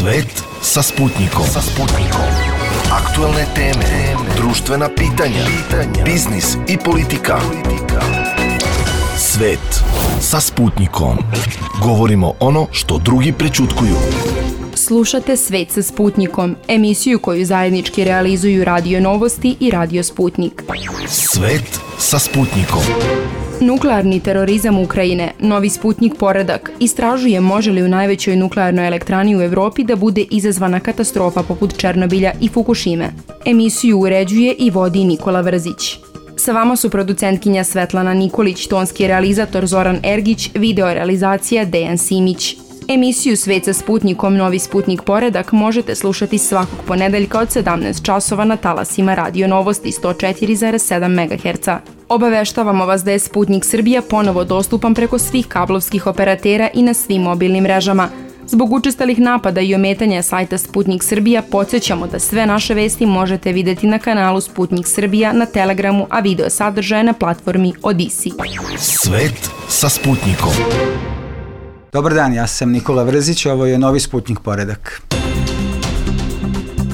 Svet sa Sputnikom. Aktuelne teme, društvena pitanja, biznis i politika. Svet sa Sputnikom. Govorimo ono što drugi prećutkuju. Slušate Svet sa Sputnikom, emisiju koju zajednički realizuju Radio Novosti i Radio Sputnik. Svet sa Sputnikom. Nuklearni terorizam Ukrajine, novi Sputnik poredak, istražuje može li u najvećoj nuklearnoj elektrani u Evropi da bude izazvana katastrofa poput Černobilja i Fukušime. Emisiju uređuje i vodi Nikola Vrzić. Sa vama su producentkinja Svetlana Nikolić, tonski realizator Zoran Ergić, video realizacija Dejan Simić. Emisiju Svet sa Sputnikom, novi Sputnik poredak možete slušati svakog ponedeljka od 17 časova na talasima Radio Novosti 104,7 MHz. Obaveštavamo vas da je Sputnik Srbija ponovo dostupan preko svih kablovskih operatera i na svim mobilnim mrežama. Zbog učestalih napada i ometanja sajta Sputnik Srbija podsjećamo da sve naše vesti možete videti na kanalu Sputnik Srbija na Telegramu, a video sadržaje na platformi Odisi. Svet sa Sputnikom. Dobar dan, ja sam Nikola Vrzić, ovo je novi Sputnik poredak.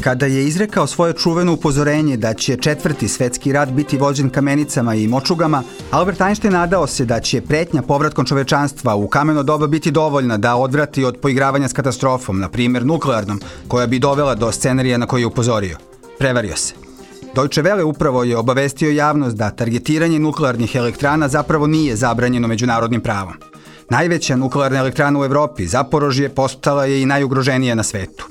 Kada je izrekao svoje čuveno upozorenje da će četvrti svetski rat biti vođen kamenicama i močugama, Albert Einstein nadao se da će pretnja povratkom čovečanstva u kameno doba biti dovoljna da odvrati od poigravanja s katastrofom, na primjer nuklearnom, koja bi dovela do scenarija na koji je upozorio. Prevario se. Deutsche Welle upravo je obavestio javnost da targetiranje nuklearnih elektrana zapravo nije zabranjeno međunarodnim pravom. Najveća nuklearna elektrana u Evropi, Zaporožje, postala je i najugroženija na svetu.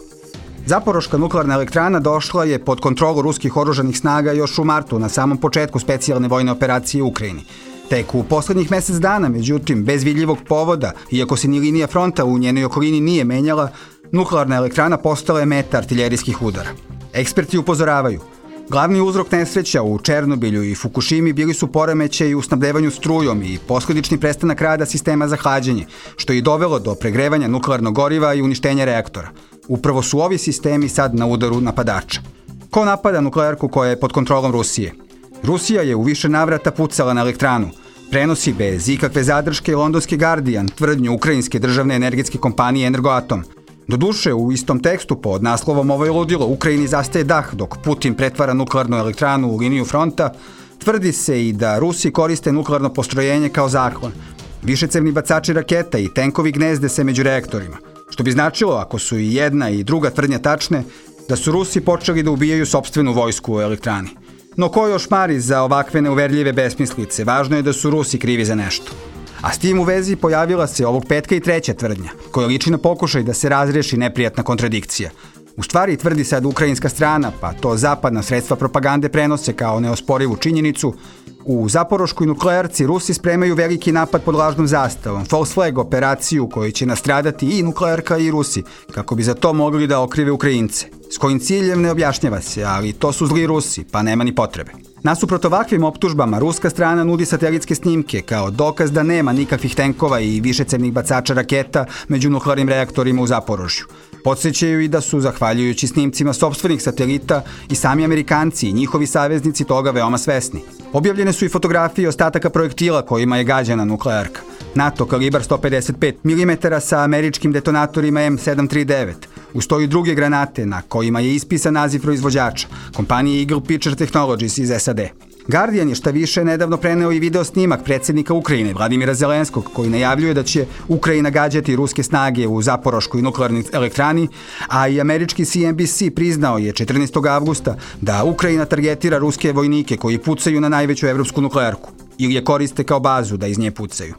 Zaporoška nuklearna elektrana došla je pod kontrolu ruskih oružanih snaga još u martu, na samom početku specijalne vojne operacije u Ukrajini. Tek u poslednjih mesec dana, međutim, bez vidljivog povoda, iako se ni linija fronta u njenoj okolini nije menjala, nuklearna elektrana postala je meta artiljerijskih udara. Eksperti upozoravaju. Glavni uzrok nesreća u Černobilju i Fukušimi bili su poremećaji u snabdevanju strujom i posledični prestanak rada sistema za hlađenje, što je dovelo do pregrevanja nuklearnog goriva i uništenja reaktora. Upravo su ovi sistemi sad na udaru napadača. Ko napada nuklearku koja je pod kontrolom Rusije? Rusija je u više navrata pucala na elektranu. Prenosi bez ikakve zadrške londonski Guardian tvrdnju ukrajinske državne energetske kompanije Energoatom. Doduše, u istom tekstu pod naslovom "Ovo je ludilo, Ukrajini zastaje dah dok Putin pretvara nuklearnu elektranu u liniju fronta", tvrdi se i da Rusi koriste nuklearno postrojenje kao zaklon. Višecevni bacači raketa i tenkovi gnezde se među reaktorima, što bi značilo, ako su i jedna i druga tvrdnja tačne, da su Rusi počeli da ubijaju sopstvenu vojsku u elektrani. No ko još mari za ovakve neuverljive besmislice, važno je da su Rusi krivi za nešto. A s tim u vezi pojavila se ovog petka i treća tvrdnja, koja liči na pokušaj da se razreši neprijatna kontradikcija. U stvari, tvrdi sad ukrajinska strana, pa to zapadna sredstva propagande prenose kao neosporivu činjenicu, u Zaporoškoj nuklearci Rusi spremaju veliki napad pod lažnom zastavom, false flag operaciju u kojoj će nastradati i nuklearka i Rusi, kako bi za to mogli da okrive Ukrajince. S kojim ciljem ne objašnjava se, ali to su zli Rusi, pa nema ni potrebe. Nasuprot ovakvim optužbama, ruska strana nudi satelitske snimke kao dokaz da nema nikakvih tenkova i višecevnih bacača raketa među nuklearnim reaktorima u Zaporožju. Podsjećaju i da su, zahvaljujući snimcima sopstvenih satelita, i sami Amerikanci i njihovi saveznici toga veoma svesni. Objavljene su i fotografije ostataka projektila kojima je gađana nuklearka. NATO kalibar 155 mm sa američkim detonatorima M739. Uz to i druge granate na kojima je ispisan naziv proizvođača, kompanije Eagle Picture Technologies iz SAD. Guardian je šta više nedavno preneo i video snimak predsjednika Ukrajine, Vladimira Zelenskog, koji najavljuje da će Ukrajina gađati ruske snage u Zaporoškoj nuklearnoj elektrani, a i američki CNBC priznao je 14. avgusta da Ukrajina targetira ruske vojnike koji pucaju na najveću evropsku nuklearku ili je koriste kao bazu da iz nje pucaju.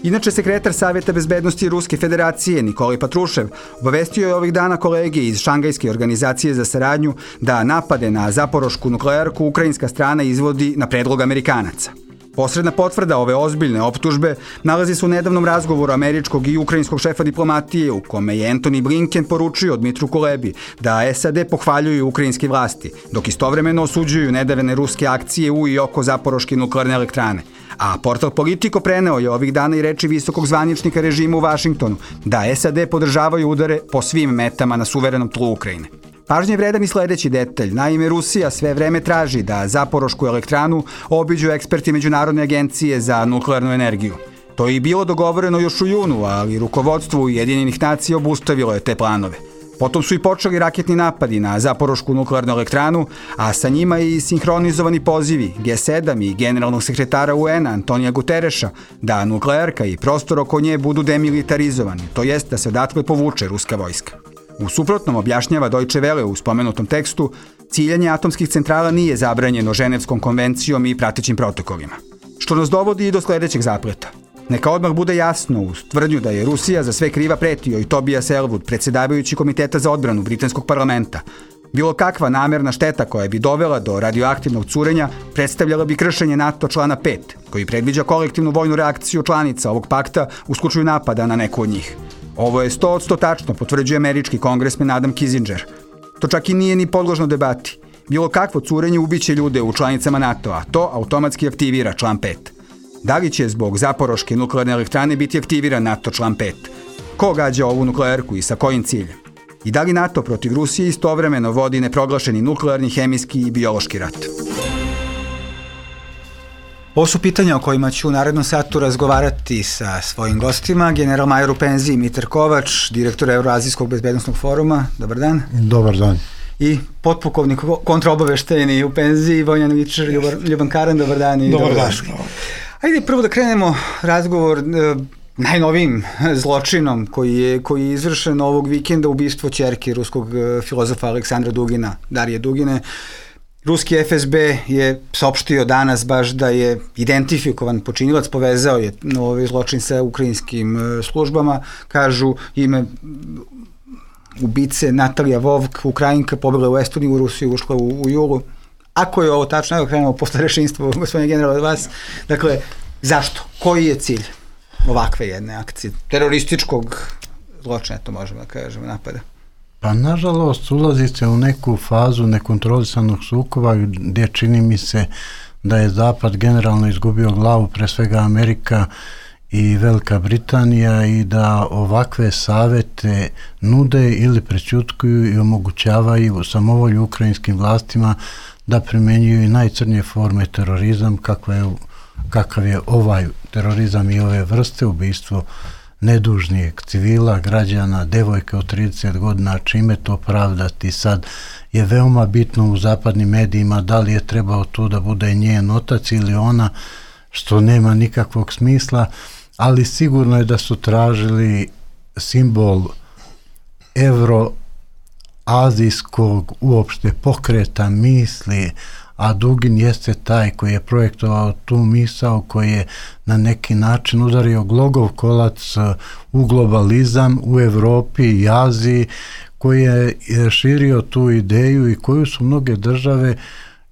Inače, sekretar Savjeta bezbednosti Ruske federacije Nikolaj Patrušev obavestio je ovih dana kolege iz Šangajske organizacije za saradnju da napade na Zaporošku nuklearku ukrajinska strana izvodi na predlog Amerikanaca. Posredna potvrda ove ozbiljne optužbe nalazi se u nedavnom razgovoru američkog i ukrajinskog šefa diplomatije u kome je Antony Blinken poručio Dmitru Kulebi da SAD pohvaljuju ukrajinske vlasti, dok istovremeno osuđuju nedavne ruske akcije u i oko Zaporoške nuklearne elektrane. A portal Politico preneo je ovih dana i reči visokog zvaničnika režima u Vašingtonu da SAD podržavaju udare po svim metama na suverenom tlu Ukrajine. Pažnje vredan i sledeći detalj. Naime, Rusija sve vreme traži da Zaporošku elektranu obiđu eksperti Međunarodne agencije za nuklearnu energiju. To je i bilo dogovoreno još u junu, ali rukovodstvo Ujedinjenih nacija obustavilo je te planove. Potom su i počeli raketni napadi na Zaporošku nuklearnu elektranu, a sa njima i sinhronizovani pozivi G7 i generalnog sekretara UN-a Antonija Gutereša da nuklearka i prostor oko nje budu demilitarizovani, to jest da se odatle povuče ruska vojska. U suprotnom, objašnjava Deutsche Welle u spomenutom tekstu, ciljanje atomskih centrala nije zabranjeno Ženevskom konvencijom i pratećim protokolima. Što nas dovodi i do sledećeg zapleta. Neka odmah bude jasno uz tvrdnju da je Rusija za sve kriva pretio i Tobias Ellwood, predsjedavajući Komiteta za odbranu britanskog parlamenta. Bilo kakva namerna šteta koja bi dovela do radioaktivnog curenja predstavljala bi kršenje NATO člana 5, koji predviđa kolektivnu vojnu reakciju članica ovog pakta u slučaju napada na neku od njih. Ovo je 100% tačno, potvrđuje američki kongresmen Adam Kinzinger. To čak i nije ni podložno debati. Bilo kakvo curenje ubiće ljude u članicama NATO-a, to automatski aktivira član 5. Da li će zbog Zaporoške nuklearne elektrane biti aktiviran NATO član 5? Ko gađa ovu nuklearku i sa kojim ciljem? I da li NATO protiv Rusije istovremeno vodi neproglašeni nuklearni, hemijski i biološki rat? Ovo su pitanja o kojima ću u narednom satu razgovarati sa svojim gostima, general major u penziji Mitar Kovač, direktor Euroazijskog bezbednosnog foruma. Dobar dan. Dobar dan. I potpukovnik kontraobaveštajni u penziji Vojnjan Vičer, Ljuban Karan. Dobar dan. I dobar dan. Ajde prvo da krenemo razgovor najnovijim zločinom koji je izvršen ovog vikenda, ubistvo ćerke ruskog filozofa Aleksandra Dugina, Darije Dugine. Ruski FSB je saopštio danas baš da je identifikovan počinilac, povezao je ovaj zločin sa ukrajinskim službama. Kažu ime ubice Natalija Vovk, Ukrajinka, pobjegla u Estoniju, u Rusiju, ušla u julu. Ako je ovo tačno, evo krenemo posle rešinstva, gospodine general, od vas. Dakle, zašto? Koji je cilj ovakve jedne akcije? Terorističkog zločina, to možemo da kažemo, napada. Pa nažalost ulazi se u neku fazu nekontrolisanog sukoba gdje čini mi se da je Zapad generalno izgubio glavu, pre svega Amerika i Velika Britanija, i da ovakve savete nude ili prećutkuju i omogućavaju samovolju ukrajinskim vlastima da primenjuju i najcrnije forme terorizam, kakav je ovaj terorizam i ove vrste, ubistvo nedužnijeg civila, građana, devojke od 30 godina, čime to pravdati. Sad je veoma bitno u zapadnim medijima da li je trebao to da bude njen otac ili ona, što nema nikakvog smisla, ali sigurno je da su tražili simbol evroazijskog uopšte pokreta misli, a Dugin jeste taj koji je projektovao tu misao, koji je na neki način udario glogov kolac u globalizam u Evropi i Aziji, koji je širio tu ideju i koju su mnoge države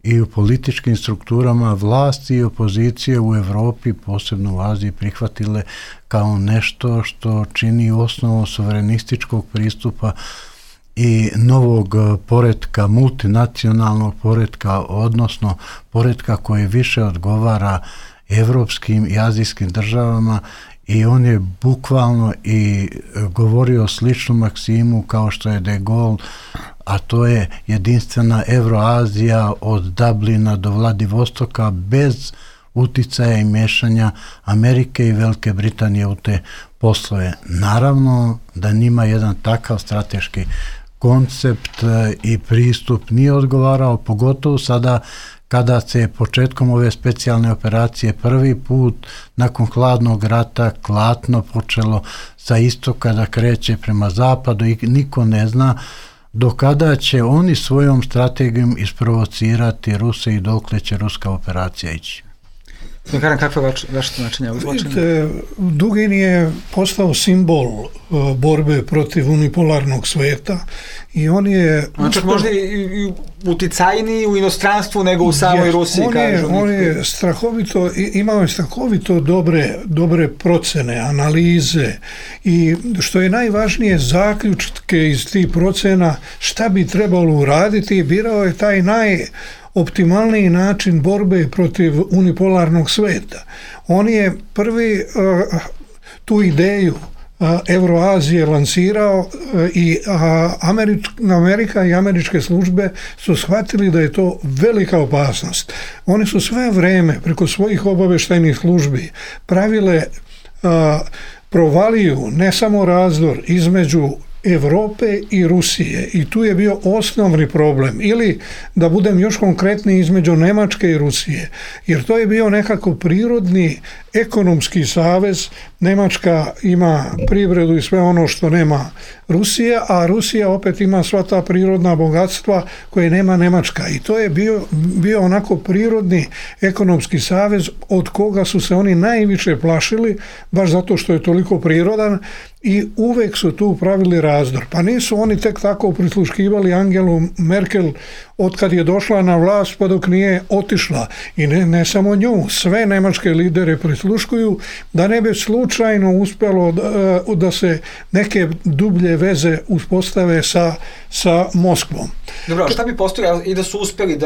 i u političkim strukturama vlasti i opozicije u Evropi, posebno u Aziji, prihvatile kao nešto što čini osnovu suverenističkog pristupa i novog poretka, multinacionalnog poretka, odnosno poretka koji više odgovara evropskim i azijskim državama, i on je bukvalno i govorio sličnu maksimu kao što je de Gaulle, a to je jedinstvena Evroazija od Dublina do Vladivostoka bez uticaja i mešanja Amerike i Velike Britanije u te poslove. Naravno da njima jedan takav strateški koncept i pristup nije odgovarao, pogotovo sada kada se početkom ove specijalne operacije prvi put nakon hladnog rata klatno počelo sa istoka da kreće prema zapadu i niko ne zna do kada će oni svojom strategijom isprovocirati Ruse i dokle će ruska operacija ići. Karan, kakva je vaše tumačenje ovog zločina? Dugin je postao simbol borbe protiv unipolarnog sveta i on je... Čak možda i uticajniji u inostranstvu nego u samoj Rusiji, kažu. On je strahovito, imao je strahovito dobre procene, analize i što je najvažnije zaključke iz tih procena šta bi trebalo uraditi, birao je taj optimalniji način borbe protiv unipolarnog sveta. On je prvi tu ideju Evroazije lansirao i Amerika i američke službe su shvatili da je to velika opasnost. Oni su sve vreme preko svojih obaveštajnih službi pravile provaliju ne samo razdor između Evrope i Rusije i tu je bio osnovni problem, ili da budem još konkretniji, između Nemačke i Rusije, jer to je bio nekako prirodni ekonomski savez. Nemačka ima privredu i sve ono što nema Rusija, a Rusija opet ima sva ta prirodna bogatstva koje nema Nemačka, i to je bio onako prirodni ekonomski savez od koga su se oni najviše plašili, baš zato što je toliko prirodan, i uvek su tu pravili razdor. Pa nisu oni tek tako prisluškivali Angelu Merkel od kad je došla na vlast pa dok nije otišla. I ne samo nju, sve nemačke lidere prisluškuju da ne bi slučajno uspjelo da se neke dublje veze uspostave sa Moskvom. Dobro, šta bi postojalo i da su uspjeli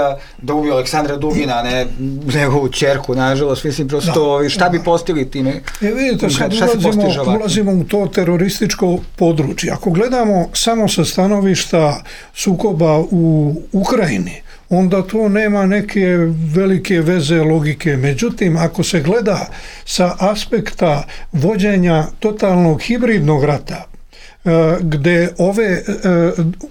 da ubiju Aleksandra Dugina, ne njegovu ćerku, nažalost, mislim, prosto, šta bi postigli time? Vidite, sad ulazimo u to terorističko područje. Ako gledamo samo sa stanovišta sukoba u Ukrajini, onda to nema neke velike veze logike. Međutim, ako se gleda sa aspekta vođenja totalnog hibridnog rata, gde ove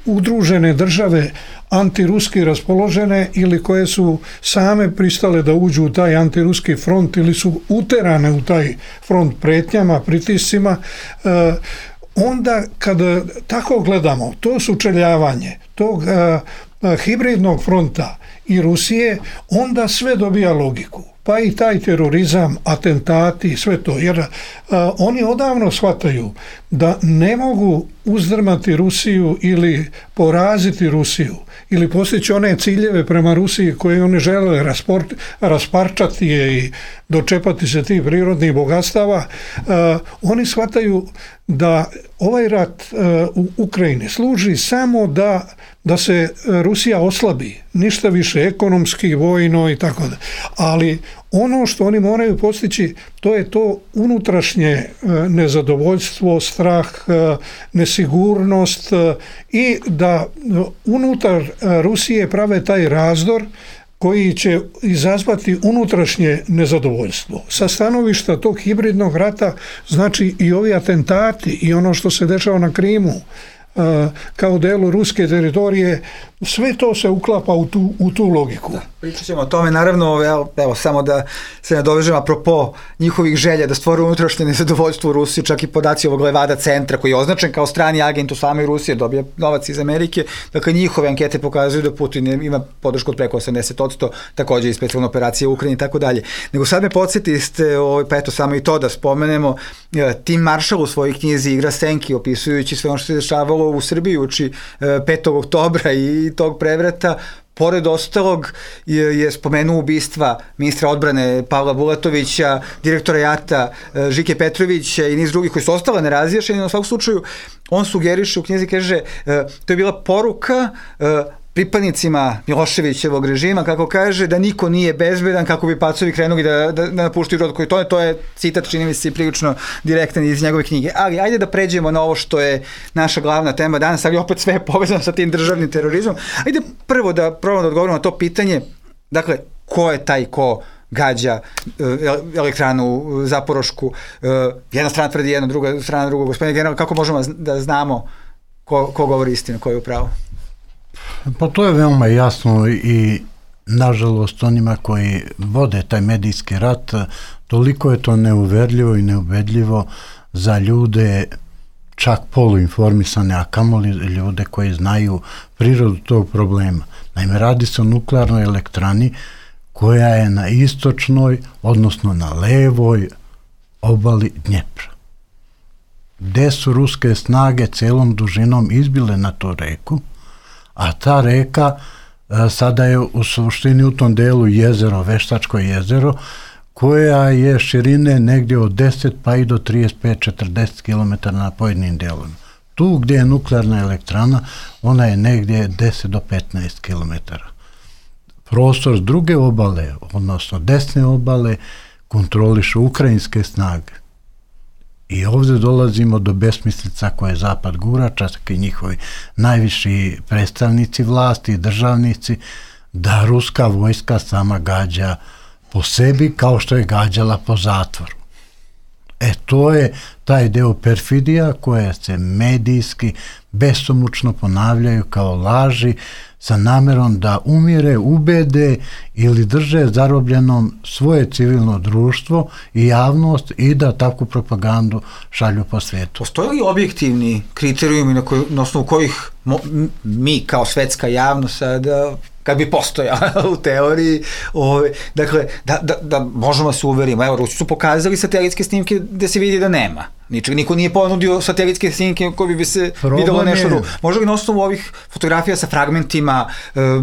udružene države antiruski raspoložene ili koje su same pristale da uđu u taj antiruski front ili su uterane u taj front pretnjama, pritiscima, onda kada tako gledamo to sučeljavanje tog hibridnog fronta i Rusije, onda sve dobija logiku. Pa i taj terorizam, atentati, sve to, jer oni odavno shvataju da ne mogu uzdrmati Rusiju ili poraziti Rusiju ili postići one ciljeve prema Rusiji koje oni žele rasparčati je i dočepati se tih prirodnih bogatstava. Oni shvataju da ovaj rat u Ukrajini služi samo da se Rusija oslabi, ništa više ekonomski, vojno i tako da. Ali ono što oni moraju postići, to je to unutrašnje nezadovoljstvo, strah, nesigurnost i da unutar Rusije prave taj razdor koji će izazvati unutrašnje nezadovoljstvo. Sa stanovišta tog hibridnog rata, znači i ovi atentati i ono što se dešava na Krimu kao delu ruske teritorije, sve to se uklapa u tu logiku. Da, pričat ćemo o tome, naravno, evo samo da se nadovežem apropo njihovih želja da stvore unutrašnje nezadovoljstvo u Rusiji, čak i podaci ovog Levada centra koji je označen kao strani agent u samoj Rusiji, dobija novac iz Amerike, dakle njihove ankete pokazuju da Putin ima podršku od preko 80%, takođe i specijalna operacija u Ukrajini i tako dalje. Nego sad me podsjetiste, pa eto samo i to da spomenemo, Tim Marshall u svojoj knjizi Igra senki, opisujući sve ono što se dešavalo u Srbiji uči 5. oktobra i tog prevrata, pored ostalog je spomenuo ubistva ministra odbrane Pavla Bulatovića, direktora JAT-a Žike Petrovića i niz drugih koji su ostale nerazjašnjeni. Na svakom slučaju on sugeriše u knjizi, kaže, to je bila poruka pripadnicima Miloševićevog režima, kako kaže, da niko nije bezbedan, kako bi pacovi krenuli da napuštaju rod koji to je citat, čini mi se prilično direktan iz njegove knjige. Ali ajde da pređemo na ovo što je naša glavna tema danas, ali opet sve je povezano sa tim državnim terorizmom. Ajde prvo da probamo da odgovorimo na to pitanje, dakle, ko je taj ko gađa elektranu Zaporošku, jedna strana tvrdi jedno, druga strana drugo. Gospodine general, kako možemo da znamo ko govori istinu, ko je u pravu? Pa to je veoma jasno i nažalost onima koji vode taj medijski rat, toliko je to neuverljivo i neubedljivo za ljude čak poluinformisane, a kamoli ljude koji znaju prirodu tog problema. Naime, radi se o nuklearnoj elektrani koja je na istočnoj, odnosno na levoj obali Dnjepra, gde su ruske snage celom dužinom izbile na tu reku, a ta reka sada je u suštini u tom delu jezero, Veštačko jezero, koja je širine negdje od 10 pa i do 35-40 km na pojedinim delovima. Tu gdje je nuklearna elektrana, ona je negdje 10 do 15 km. Prostor s druge obale, odnosno desne obale, kontrolišu ukrajinske snage. I ovdje dolazimo do besmislica koje Zapad gura, čak i njihovi najviši predstavnici vlasti i državnici, da ruska vojska sama gađa po sebi kao što je gađala po zatvoru. To je taj deo perfidija koje se medijski besomučno ponavljaju kao laži sa namerom da umire, ubede ili drže zarobljenom svoje civilno društvo i javnost i da takvu propagandu šalju po svijetu. Postoje li objektivni kriterijumi na osnovu kojih mi kao svetska javnost sada, kad bi postojala u teoriji, dakle, da možemo se uverimo. Evo, Rusi su pokazali satelitske snimke gde se vidi da nema. Niko nije ponudio satelitske snimke koji bi se videlo nešto drugo. Može li na osnovu ovih fotografija sa fragmentima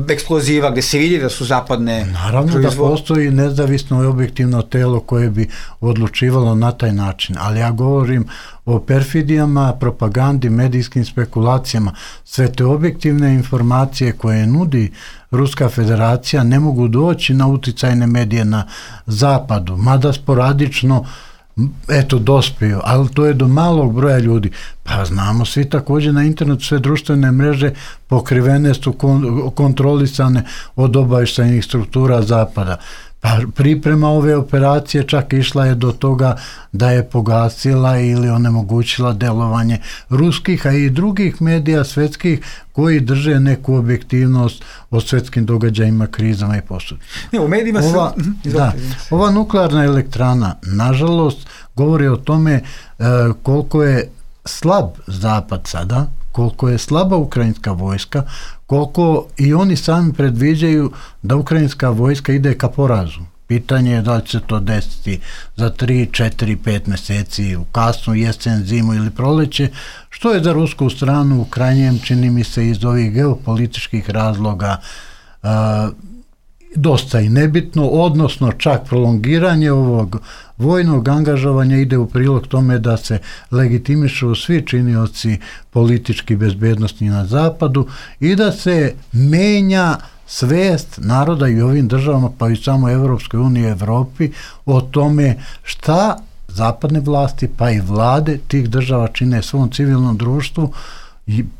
eksploziva gde se vidi da su zapadne... Naravno da postoji nezavisno i objektivno telo koje bi odlučivalo na taj način, ali ja govorim o perfidijama, propagandi, medijskim spekulacijama. Sve te objektivne informacije koje nudi Ruska federacija ne mogu doći na uticajne medije na zapadu, mada sporadično dospiju, ali to je do malog broja ljudi. Pa znamo svi također na internetu, sve društvene mreže pokrivene su, kontrolisane od obavještajnih struktura zapada. Pa priprema ove operacije čak išla je do toga da je pogasila ili onemogućila delovanje ruskih, a i drugih medija svetskih koji drže neku objektivnost o svetskim događajima, krizama i posudi. U medijima ova nuklearna elektrana, nažalost, govori o tome koliko je slab Zapad sada, koliko je slaba ukrajinska vojska, koliko i oni sami predviđaju da ukrajinska vojska ide ka porazu. Pitanje je da li će se to desiti za 3, 4, 5 meseci, u kasnu jesen, zimu ili proleće, što je za rusku stranu u krajnjem, čini mi se, iz ovih geopolitičkih razloga dosta i nebitno, odnosno čak prolongiranje ovog vojnog angažovanja ide u prilog tome da se legitimišu svi činioci politički bezbednostni na zapadu i da se menja svest naroda i ovim državama, pa i samo Evropskoj uniji i Evropi o tome šta zapadne vlasti pa i vlade tih država čine svom civilnom društvu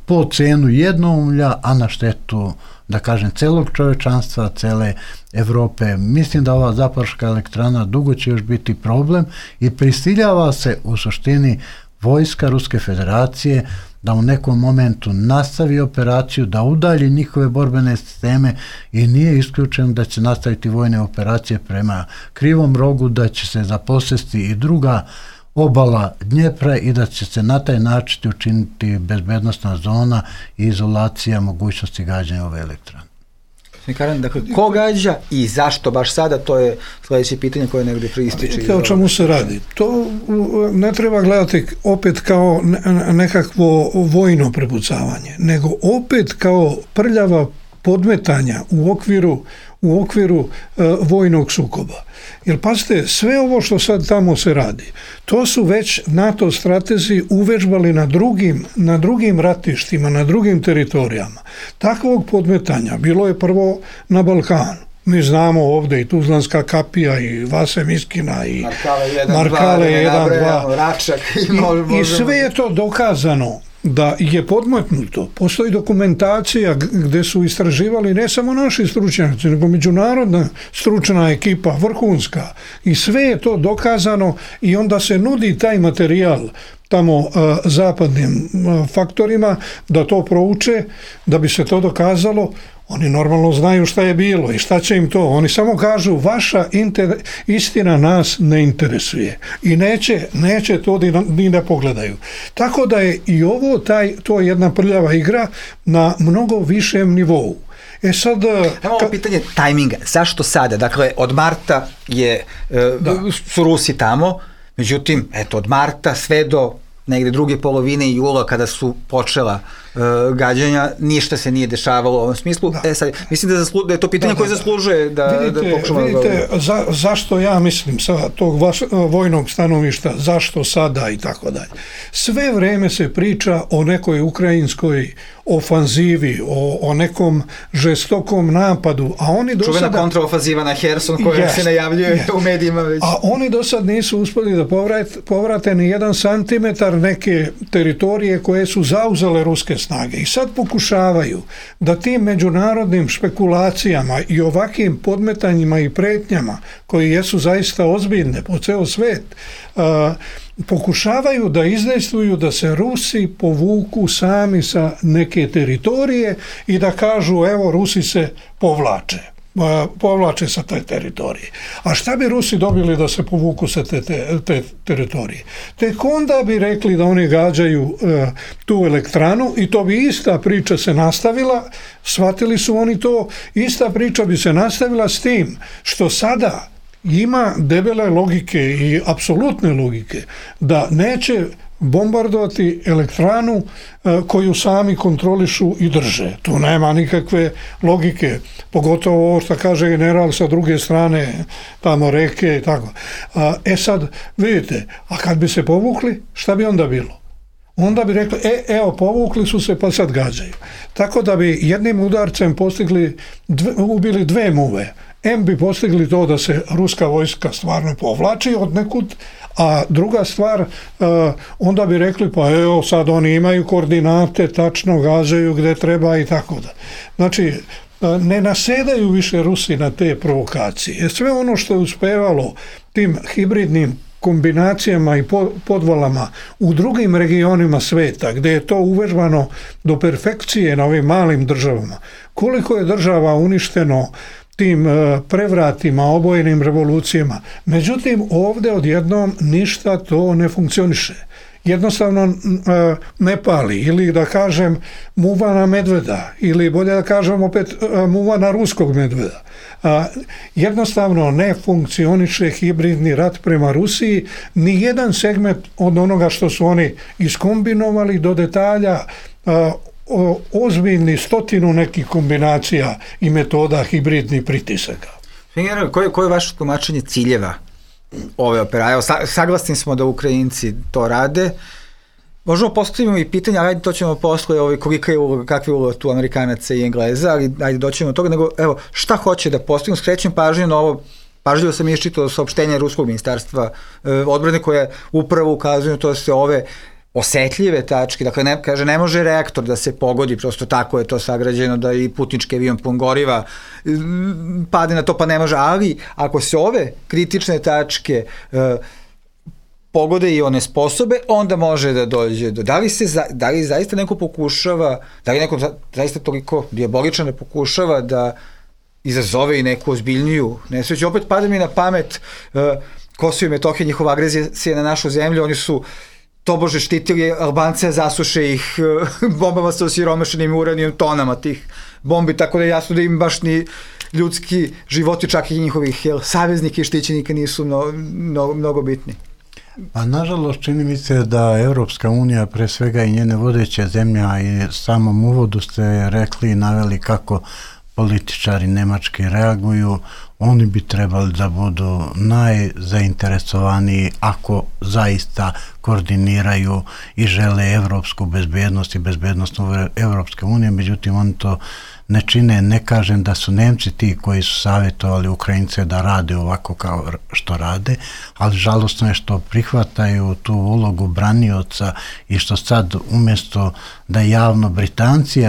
po cenu jednoumlja, a na štetu, da kažem, celog čovečanstva, cele Evrope. Mislim da ova Zaporoška elektrana dugo će još biti problem i prisiljava se u suštini vojska Ruske federacije da u nekom momentu nastavi operaciju, da udalji njihove borbene sisteme i nije isključeno da će nastaviti vojne operacije prema Krivom rogu, da će se zaposesti i druga obala Dnjepra i da će se na taj način učiniti bezbednostna zona i izolacija mogućnosti gađanja ove elektrane. Dakle, ko gađa i zašto baš sada, to je sljedeće pitanje koje negdje prističe. O čemu se radi? To ne treba gledati opet kao nekakvo vojno prepucavanje, nego opet kao prljava podmetanja u okviru vojnog sukoba. Jer pazite, sve ovo što sad tamo se radi, to su već NATO stratezi uvežbali na drugim ratištima, na drugim teritorijama. Takvog podmetanja bilo je prvo na Balkanu. Mi znamo ovdje i Tuzlanska kapija i Vase Miskina i Markale 1, 2 i sve je to dokazano da je podmetnuto. Postoji dokumentacija gdje su istraživali ne samo naši stručnjaci, nego međunarodna stručna ekipa, vrhunska, i sve je to dokazano i onda se nudi taj materijal tamo zapadnim faktorima da to prouče, da bi se to dokazalo. Oni normalno znaju šta je bilo i šta će im to. Oni samo kažu vaša istina nas ne interesuje i neće to ni da pogledaju. Tako da je i ovo to je jedna prljava igra na mnogo višem nivou. Sad... Evo pitanje tajminga. Zašto sada? Dakle, od marta su Rusi tamo, međutim, od marta sve do negde druge polovine jula kada su počela gađanja, ništa se nije dešavalo u ovom smislu. Sad, mislim da je to pitanje koje zaslužuje da pokušamo... Vidite, zašto ja mislim sa tog vojnog stanovišta, zašto sada i tako dalje. Sve vreme se priča o nekoj ukrajinskoj ofanzivi, o nekom žestokom napadu, a oni do sada... Čuvena kontraofanziva na Herson koja se najavljuje u medijima već. A oni do sad nisu uspjeli da povrate ni 1 centimetar neke teritorije koje su zauzele ruske snage. I sad pokušavaju da tim međunarodnim špekulacijama i ovakvim podmetanjima i pretnjama koji jesu zaista ozbiljne po ceo svet, pokušavaju da izdejstvuju da se Rusi povuku sami sa neke teritorije i da kažu evo Rusi se povlače sa te teritorije. A šta bi Rusi dobili da se povuku sa te teritorije? Tek onda bi rekli da oni gađaju tu elektranu i to bi ista priča se nastavila, shvatili su oni to, ista priča bi se nastavila s tim što sada ima debele logike i apsolutne logike da neće bombardovati elektranu koju sami kontrolišu i drže. Tu nema nikakve logike, pogotovo ovo što kaže general sa druge strane, tamo reke i tako. Sad, vidite, a kad bi se povukli, šta bi onda bilo? Onda bi rekli, evo, povukli su se pa sad gađaju. Tako da bi jednim udarcem ubili dve muve. Bi postigli to da se ruska vojska stvarno povlači od nekud, a druga stvar, onda bi rekli, pa evo, sad oni imaju koordinate, tačno gađaju gde treba i tako da. Znači, ne nasedaju više Rusi na te provokacije. Sve ono što je uspevalo tim hibridnim kombinacijama i podvalama u drugim regionima sveta, gdje je to uvežbano do perfekcije na ovim malim državama, koliko je država uništeno tim prevratima, obojenim revolucijama. Međutim, ovdje odjednom ništa to ne funkcioniše. Jednostavno ne pali, ili da kažem muva na medveda, ili bolje da kažem opet muva na ruskog medveda. Jednostavno ne funkcioniše hibridni rat prema Rusiji, ni jedan segment od onoga što su oni iskombinovali do detalja, ozbiljni 100 nekih kombinacija i metoda hibridnih pritisaka. Koje je vaše tumačenje ciljeva ove operacije? Saglasni smo da Ukrajinci to rade. Možemo postavimo i pitanje, ali to ćemo posle, kolika je uloga, kakva je uloga tu Amerikanaca i Engleza, ali ajde doćemo od toga, nego evo, šta hoće da postignu? Skrećem pažnju na ovo, pažljivo sam iščitao saopštenje Ruskog ministarstva odbrane koje upravo ukazuju na to da se ove osetljive tačke, dakle ne može reaktor da se pogodi, prosto tako je to sagrađeno da i putnički avion pun goriva pade na to, pa ne može, ali ako se ove kritične tačke pogode i one sposobe, onda može da dođe do... Da li zaista neko pokušava, da li neko zaista toliko dijaboličan pokušava da izazove i neku ozbiljniju nesreću? Opet pada mi na pamet Kosovo i Metohija, njihova agresija na našu zemlju, oni su tobože štitili Albance, zasuše ih bombama sa osiromašenim uranijom, tonama tih bombi, tako da je jasno da im baš ni ljudski životi, čak i njihovih saveznika i štićenika nisu mnogo bitni. Pa nažalost čini mi se da Evropska unija, pre svega i njene vodeće zemlje, i samom uvodu ste rekli i naveli kako političari nemački reaguju, oni bi trebali da budu najzainteresovaniji ako zaista koordiniraju i žele evropsku bezbednost i bezbednost Evropske unije, međutim oni to ne čine. Ne kažem da su Nemci ti koji su savjetovali Ukrajince da rade ovako kao što rade, ali žalostno je što prihvataju tu ulogu branioca i što sad umjesto da javno Britanci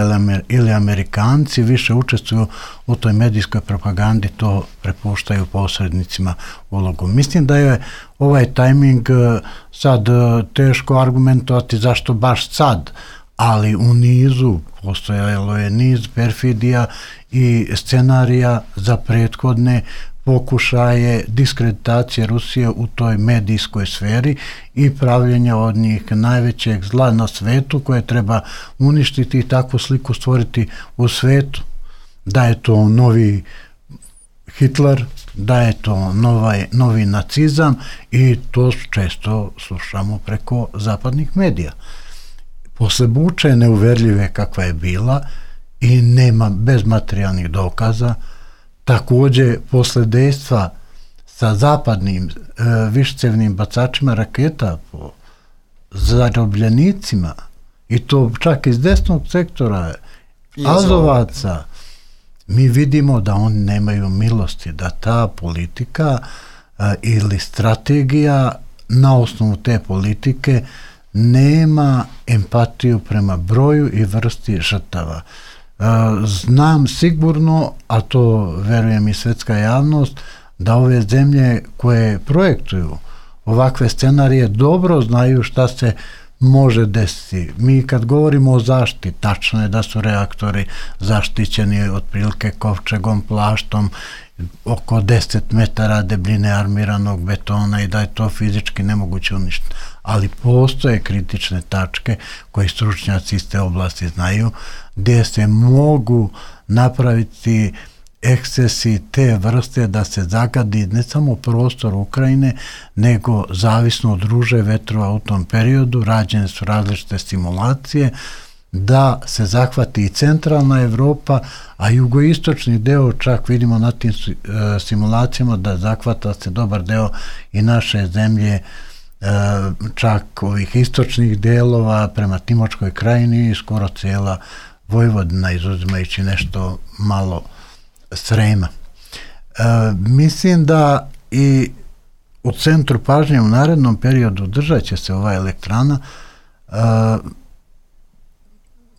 ili Amerikanci više učestvuju u toj medijskoj propagandi, to prepuštaju posrednicima ulogu. Mislim da je ovaj tajming sad teško argumentovati zašto baš sad, ali u nizu postojalo je niz perfidija i scenarija za prethodne pokušaje diskreditacije Rusije u toj medijskoj sferi i pravljenja od njih najvećeg zla na svetu koje treba uništiti i takvu sliku stvoriti u svetu. Da je to novi Hitler, da je to novi nacizam, i to često slušamo preko zapadnih medija. Posle Buče neuverljive kakva je bila i nema bezmaterijalnih dokaza, također posle dejstva sa zapadnim višecevnim bacačima raketa po zarobljenicima, i to čak iz desnog sektora, Azovaca, mi vidimo da oni nemaju milosti, da ta politika ili strategija na osnovu te politike nema empatiju prema broju i vrsti žrtava. Znam sigurno, a to verujem i svetska javnost, da ove zemlje koje projektuju ovakve scenarije dobro znaju šta se može desiti. Mi kad govorimo o zaštiti, tačno je da su reaktori zaštićeni otprilike kovčegom, plaštom, oko 10 metara debljine armiranog betona i da je to fizički nemoguće uništiti. Ali postoje kritične tačke koje stručnjaci iz te oblasti znaju, gdje se mogu napraviti ekscesi te vrste da se zagadi ne samo prostor Ukrajine, nego zavisno od ruže vetrova u tom periodu, rađene su različite simulacije, da se zahvati i centralna Evropa, a jugoistočni deo, čak vidimo na tim simulacijama da zahvata se dobar deo i naše zemlje, čak ovih istočnih delova prema Timočkoj krajini i skoro cijela Vojvodina, izuzimajući nešto malo Srema. Mislim da i u centru pažnje u narednom periodu držat će se ova elektrana.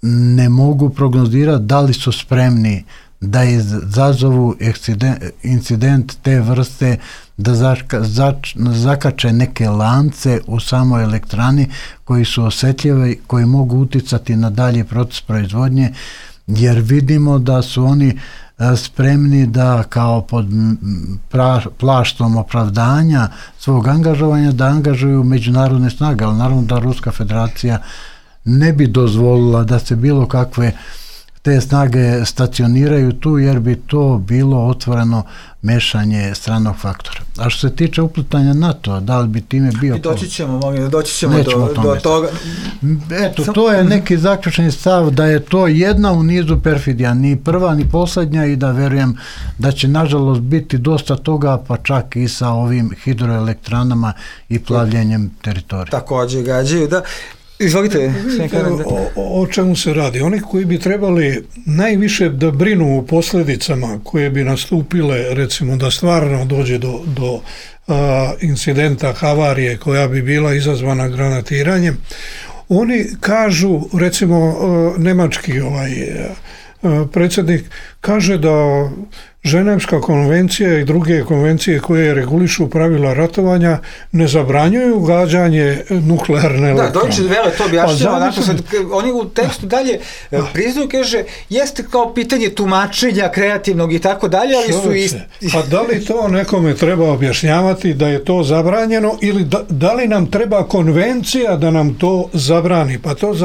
Ne mogu prognozirati da li su spremni da izazovu incident te vrste, da zakače neke lance u samoj elektrani koji su osjetljivi, koji mogu uticati na dalji proces proizvodnje, jer vidimo da su oni spremni da kao pod plaštom opravdanja svog angažovanja da angažuju međunarodne snage, ali naravno da Ruska federacija ne bi dozvolila da se bilo kakve te snage stacioniraju tu, jer bi to bilo otvoreno mešanje stranog faktora. A što se tiče uplitanja NATO, da li bi time bio... I doći ćemo do toga. Eto, to je neki zaključni stav da je to jedna u nizu perfidija, ni prva ni posljednja, i da verujem da će nažalost biti dosta toga, pa čak i sa ovim hidroelektranama i plavljenjem teritorija. Također gađaju, da. Izvolite. O čemu se radi? Oni koji bi trebali najviše da brinu o posljedicama koje bi nastupile, recimo da stvarno dođe do incidenta, havarije koja bi bila izazvana granatiranjem, oni kažu, recimo nemački predsjednik kaže da Ženevska konvencija i druge konvencije koje regulišu pravila ratovanja ne zabranjuju gađanje nuklearne elektrane. Da, Deutsche Welle to objašnjava, oni u tekstu dalje priznaju, kaže, jeste kao pitanje tumačenja kreativnog i tako dalje, ali su A da li to nekome treba objašnjavati da je to zabranjeno, ili da li nam treba konvencija da nam to zabrani? Pa to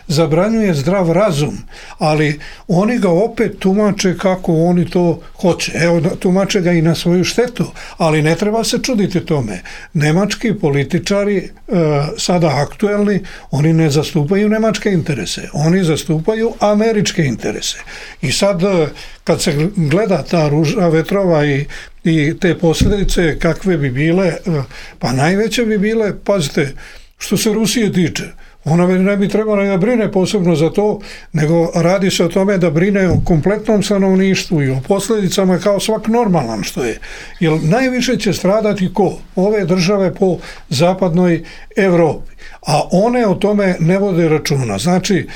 zabranjuje zdrav razum, ali oni ga opet tumače kako oni to hoće. Evo, tumače ga i na svoju štetu, ali ne treba se čuditi tome. Nemački političari, sada aktuelni, oni ne zastupaju nemačke interese, oni zastupaju američke interese. I sad, kad se gleda ta ruža vetrova i te posljedice kakve bi bile, pa najveće bi bile, pazite, što se Rusije tiče, ona ne bi trebala da brine posebno za to, nego radi se o tome da brine o kompletnom stanovništvu i o posljedicama kao svak normalan što je. Jer najviše će stradati ko? Ove države po zapadnoj Evropi. A one o tome ne vode računa. Znači,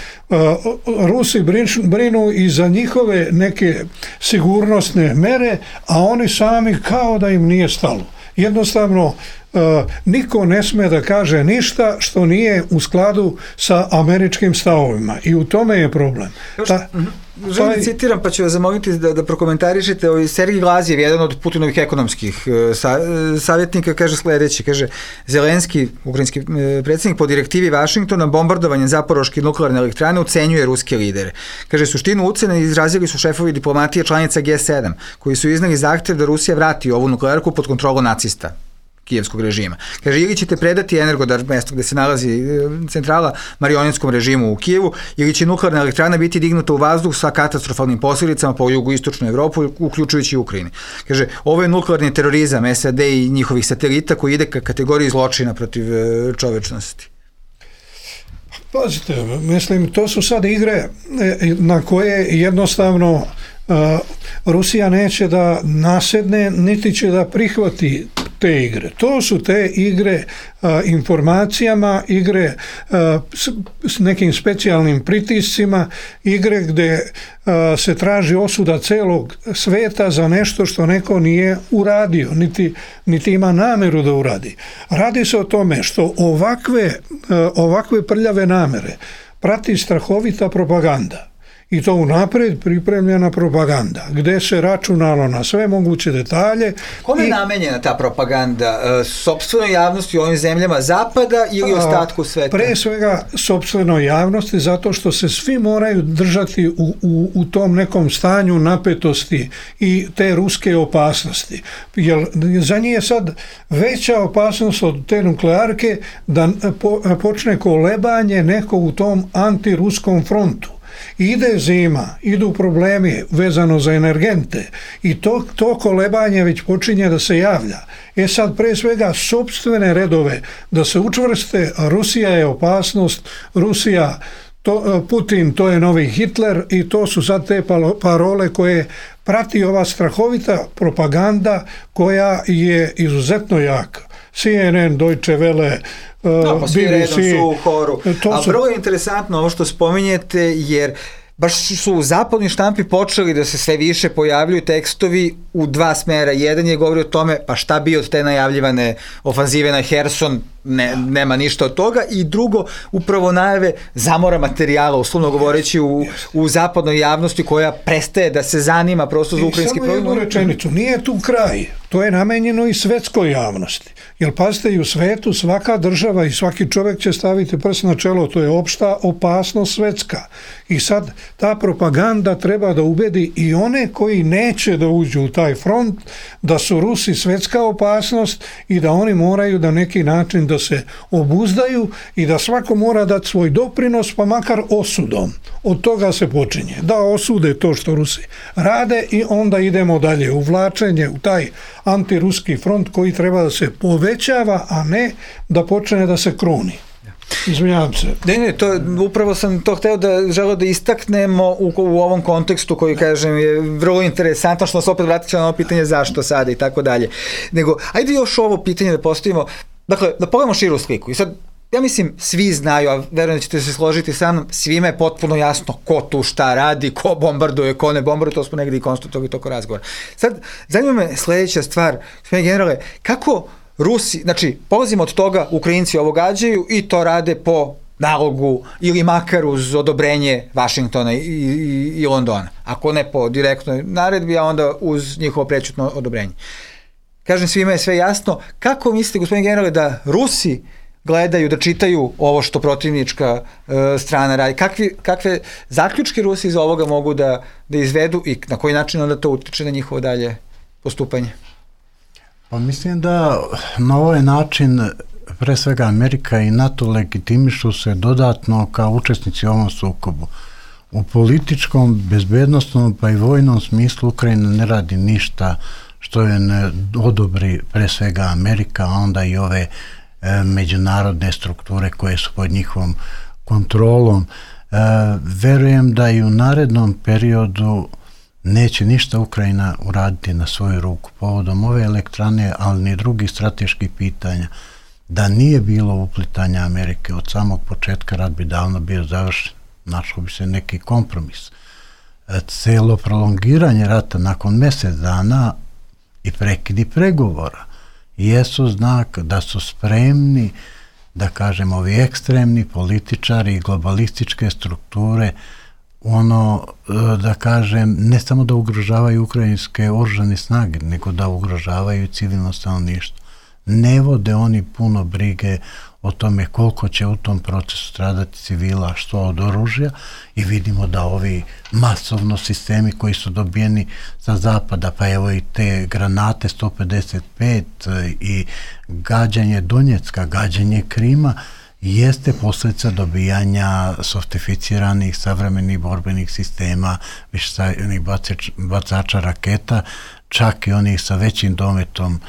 Rusi brinu i za njihove neke sigurnosne mere, a oni sami kao da im nije stalo. Jednostavno, niko ne sme da kaže ništa što nije u skladu sa američkim stavovima, i u tome je problem. Želim citiram, pa ću vas zamoliti da prokomentarišete. Sergij Glazjev, jedan od Putinovih ekonomskih savjetnika, kaže sljedeće, kaže, Zelenski, ukrajinski predsjednik, po direktivi Vašingtona bombardovanje Zaporoške nuklearne elektrane ucenjuje ruske lidere. Kaže, suštinu ucene izrazili su šefovi diplomatije članica G7, koji su iznali zahtev da Rusija vrati ovu nuklearku pod kontrolu nacista kijevskog režima. Kaže, ili ćete predati Energodar, mjesto gdje se nalazi centrala, marionetskom režimu u Kijevu, ili će nuklearna elektrana biti dignuta u vazduh sa katastrofalnim posljedicama po jugoistočnu Evropu, uključujući Ukrajinu. Kaže, ovo je nuklearni terorizam SAD i njihovih satelita koji ide ka kategoriji zločina protiv čovečnosti. Pazite, mislim, to su sad igre na koje jednostavno Rusija neće da nasedne, niti će da prihvati te igre. To su te igre informacijama, igre s nekim specijalnim pritiscima, igre gdje se traži osuda celog sveta za nešto što neko nije uradio, niti ima nameru da uradi. Radi se o tome što ovakve prljave namere prati strahovita propaganda. I to unaprijed pripremljena propaganda, gdje se računalo na sve moguće detalje. Kome je namenjena ta propaganda? Sopstvenoj javnosti u ovim zemljama zapada ili ostatku sveta? Pre svega sopstvenoj javnosti, zato što se svi moraju držati u tom nekom stanju napetosti i te ruske opasnosti. Jer za njih je sad veća opasnost od te nuklearke da počne kolebanje neko u tom antiruskom frontu. Ide zima, idu problemi vezano za energente i to kolebanje već počinje da se javlja. Sad pre svega sopstvene redove da se učvrste, Rusija je opasnost, Putin to je novi Hitler i to su sad te parole koje prati ova strahovita propaganda koja je izuzetno jaka. CNN, Deutsche Welle, svi redom su u horu. A vrlo je interesantno ovo što spominjete, jer baš su u zapadnoj štampi počeli da se sve više pojavljuju tekstovi u dva smera. Jedan je govori o tome, pa šta bi od te najavljivane ofanzive na Herson, nema ništa od toga, i drugo, upravo najave zamora materijala, uslovno govoreći u zapadnoj javnosti koja prestaje da se zanima prosto za ukrajinski problem. Samo jednu rečenicu, nije tu kraj, to je namenjeno i svetskoj javnosti. Jer pazite, i u svetu svaka država i svaki čovjek će staviti prst na čelo, to je opšta opasnost svetska. I sad ta propaganda treba da ubedi i one koji neće da uđu u taj front, da su Rusi svetska opasnost i da oni moraju da neki način da se obuzdaju i da svako mora dati svoj doprinos, pa makar osudom. Od toga se počinje. Da osude to što Rusi rade i onda idemo dalje. Uvlačenje u taj antiruski front koji treba da se povećava, a ne da počne da se kruni. Izvinjavam se. Ne, upravo sam to želeo da istaknemo u ovom kontekstu koji, kažem, je vrlo interesantno, što nas opet vratit na ovo pitanje zašto sada i tako dalje. Nego, ajde još ovo pitanje da postavimo, dakle, da pogledamo širu sliku. I sad, ja mislim, svi znaju, a verujem da ćete se složiti sa mnom, svima je potpuno jasno ko tu šta radi, ko bombarduje, ko ne bombarduje, to smo negdje i konstatovali toko razgovora. Sad, zanima me sljedeća stvar, gospodine generale, kako Rusi, znači, polazimo od toga, Ukrajinci ovo gađaju i to rade po nalogu ili makar uz odobrenje Vašingtona i Londona. Ako ne po direktnoj naredbi, a onda uz njihovo prečutno odobrenje. Kažem, svima je sve jasno. Kako mislite, gospodine generale, da Rusi gledaju, da čitaju ovo što protivnička strana radi? Kakve zaključke Rusi iz ovoga mogu da izvedu i na koji način onda to utiče na njihovo dalje postupanje? Pa mislim da na ovaj način pre svega Amerika i NATO legitimišu se dodatno kao učesnici u ovom sukobu. U političkom, bezbednostnom pa i vojnom smislu Ukrajina ne radi ništa što je ne odobri pre svega Amerika, a onda i ove međunarodne strukture koje su pod njihovom kontrolom. Verujem da i u narednom periodu neće ništa Ukrajina uraditi na svoju ruku povodom ove elektrane, ali ni drugih strateških pitanja. Da nije bilo uplitanja Amerike od samog početka, rat bi davno bio završen, našao bi se neki kompromis. Celo prolongiranje rata nakon mjesec dana i prekidi pregovora jesu znak da su spremni, da kažem, ovi ekstremni političari i globalističke strukture, da kažem, ne samo da ugrožavaju ukrajinske oružane snage, nego da ugrožavaju civilno stanovništvo. Ne vode oni puno brige o tome koliko će u tom procesu stradati civila, što od oružja, i vidimo da ovi masovno sistemi koji su dobijeni sa zapada, pa evo i te granate 155 i gađanje Donjecka, gađanje Krima, jeste posljedica dobijanja softificiranih savremenih borbenih sistema, višesajnih bacača raketa, čak i onih sa većim dometom.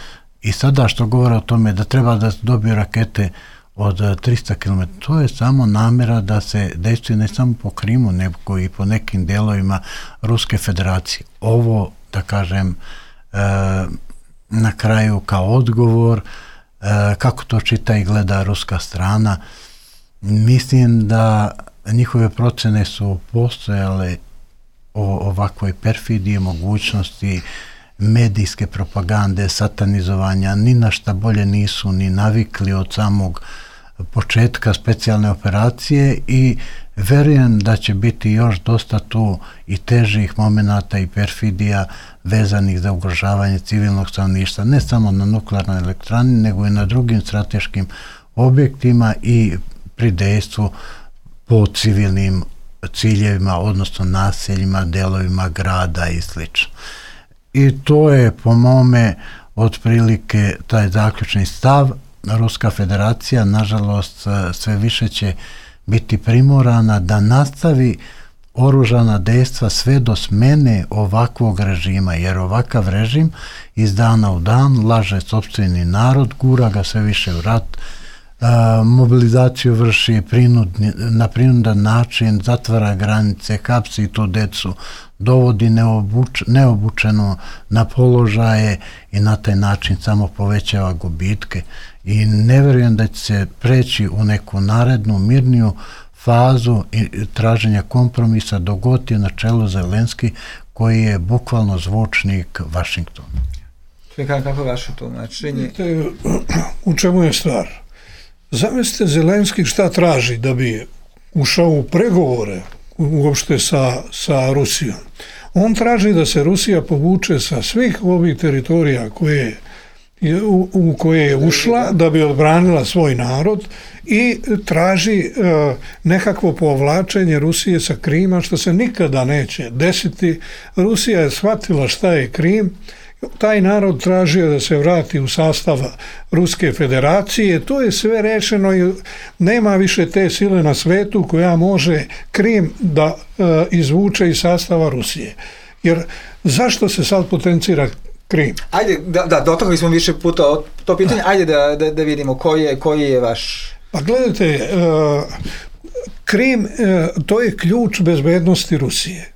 I sada što govore o tome da treba da dobiju rakete od 300 km, to je samo namjera da se dejstvuje ne samo po Krimu, nego i po nekim delovima Ruske federacije. Ovo, da kažem, na kraju kao odgovor, kako to čita i gleda ruska strana, mislim da njihove procene su postojale o ovakvoj perfidiji, mogućnosti medijske propagande, satanizovanja, ni na šta bolje nisu ni navikli od samog početka specijalne operacije i verujem da će biti još dosta tu i težih momenata i perfidija vezanih za ugrožavanje civilnog stanovništva, ne samo na nuklearnoj elektrani, nego i na drugim strateškim objektima i pri dejstvu po civilnim ciljevima, odnosno naseljima, delovima grada i sl. I to je po mome otprilike taj zaključni stav. Ruska federacija, nažalost, sve više će biti primorana da nastavi oružana dejstva sve do smene ovakvog režima, jer ovakav režim iz dana u dan laže sopstveni narod, gura ga sve više u rat, mobilizaciju vrši na prinudan način, zatvara granice, hapsi tu decu, dovodi neobučeno na položaje i na taj način samo povećava gubitke. I ne verujem da će se preći u neku narednu, mirniju fazu traženja kompromisa dok god je na čelu Zelenski, koji je bukvalno zvučnik Vašingtona. Kako je vaše tumačenje? U čemu je stvar? Zamislite Zelenski šta traži da bi ušao u pregovore uopšte sa Rusijom. On traži da se Rusija povuče sa svih ovih teritorija u koje je ušla da bi odbranila svoj narod i traži nekakvo povlačenje Rusije sa Krima, što se nikada neće desiti. Rusija je shvatila šta je Krim, taj narod tražio da se vrati u sastav Ruske federacije, to je sve rešeno i nema više te sile na svetu koja može Krim da izvuče iz sastava Rusije. Jer zašto se sad potencira Krim? Ajde, da dotakli smo više puta to pitanje, ajde da vidimo koji je vaš... Pa gledajte, Krim, to je ključ bezbednosti Rusije.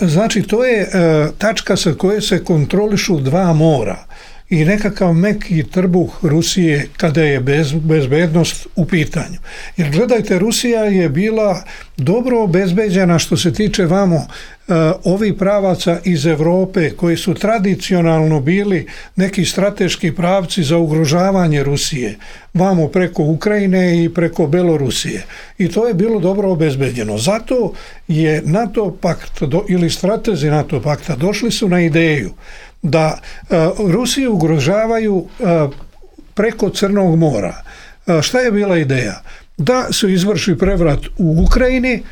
Znači, to je tačka sa koje se kontrolišu dva mora i nekakav meki trbuh Rusije kada je bezbednost u pitanju. Jer gledajte, Rusija je bila dobro obezbeđena što se tiče vamo ovih pravaca iz Evrope koji su tradicionalno bili neki strateški pravci za ugrožavanje Rusije, vamo preko Ukrajine i preko Belorusije. I to je bilo dobro obezbeđeno. Zato je NATO pakt ili stratezi NATO pakta došli su na ideju da Rusiju ugrožavaju preko Crnog mora. Šta je bila ideja? Da se izvrši prevrat u Ukrajini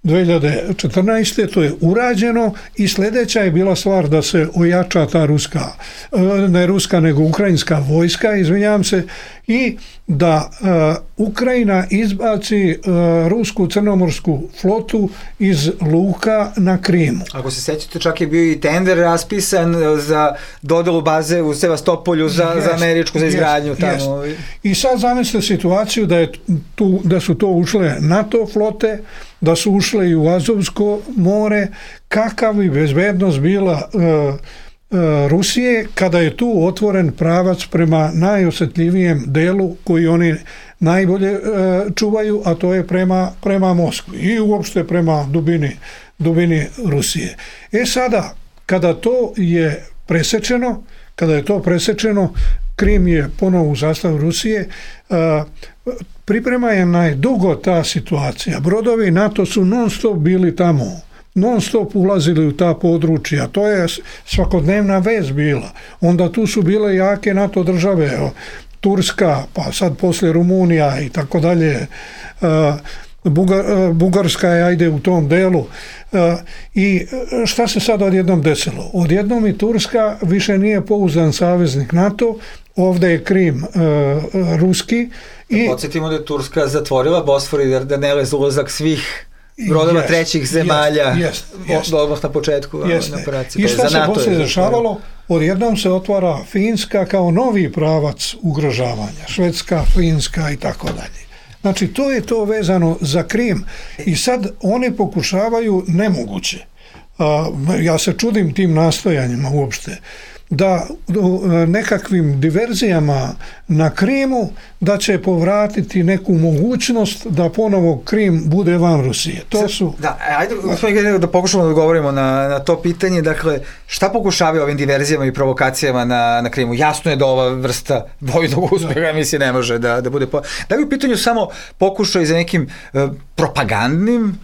2014. to je urađeno i sljedeća je bila stvar da se ojača ta ukrajinska vojska, izvinjavam se, i da Ukrajina izbaci rusku crnomorsku flotu iz luka na Krimu. Ako se sećate, čak je bio i tender raspisan za dodelu baze u Sevastopolju za američku, za izgradnju tamo. I sad zamislite situaciju da su to ušle NATO flote, da su ušle i u Azovsko more, kakav bi bezbednost bila Rusije kada je tu otvoren pravac prema najosjetljivijem delu koji oni najbolje čuvaju, a to je prema Moskvi i uopšte prema dubini Rusije. Sada, kada je to presečeno, Krim je ponovo u sastavu Rusije, priprema je najdugo ta situacija. Brodovi NATO su non stop bili tamo, non stop ulazili u ta područja, to je svakodnevna vez bila. Onda tu su bile jake NATO države, Turska, pa sad poslije Rumunija i tako dalje, Bugarska je ajde u tom delu. I šta se sad odjednom desilo? Odjednom i Turska više nije pouzdan saveznik NATO, ovdje je Krim ruski. Podsjetimo da je Turska zatvorila Bosfor i Dardanele za ulazak svih brodova trećih zemalja odmah na početku operacije. I šta se poslije dešavalo? Odjednom se otvara Finska kao novi pravac ugrožavanja. Švedska, Finska i tako dalje. Znači, to je to vezano za Krim. I sad oni pokušavaju nemoguće. Ja se čudim tim nastojanjima uopšte. da nekakvim diverzijama na Krimu da će povratiti neku mogućnost da ponovo Krim bude van Rusije. To su... Da, ajde da pokušamo da odgovorimo na to pitanje. Dakle, šta pokušavaju ovim diverzijama i provokacijama na Krimu? Jasno je da ova vrsta vojnog uspeha mislim ne može da bude... Da li u pitanju samo pokušaj za nekim propagandnim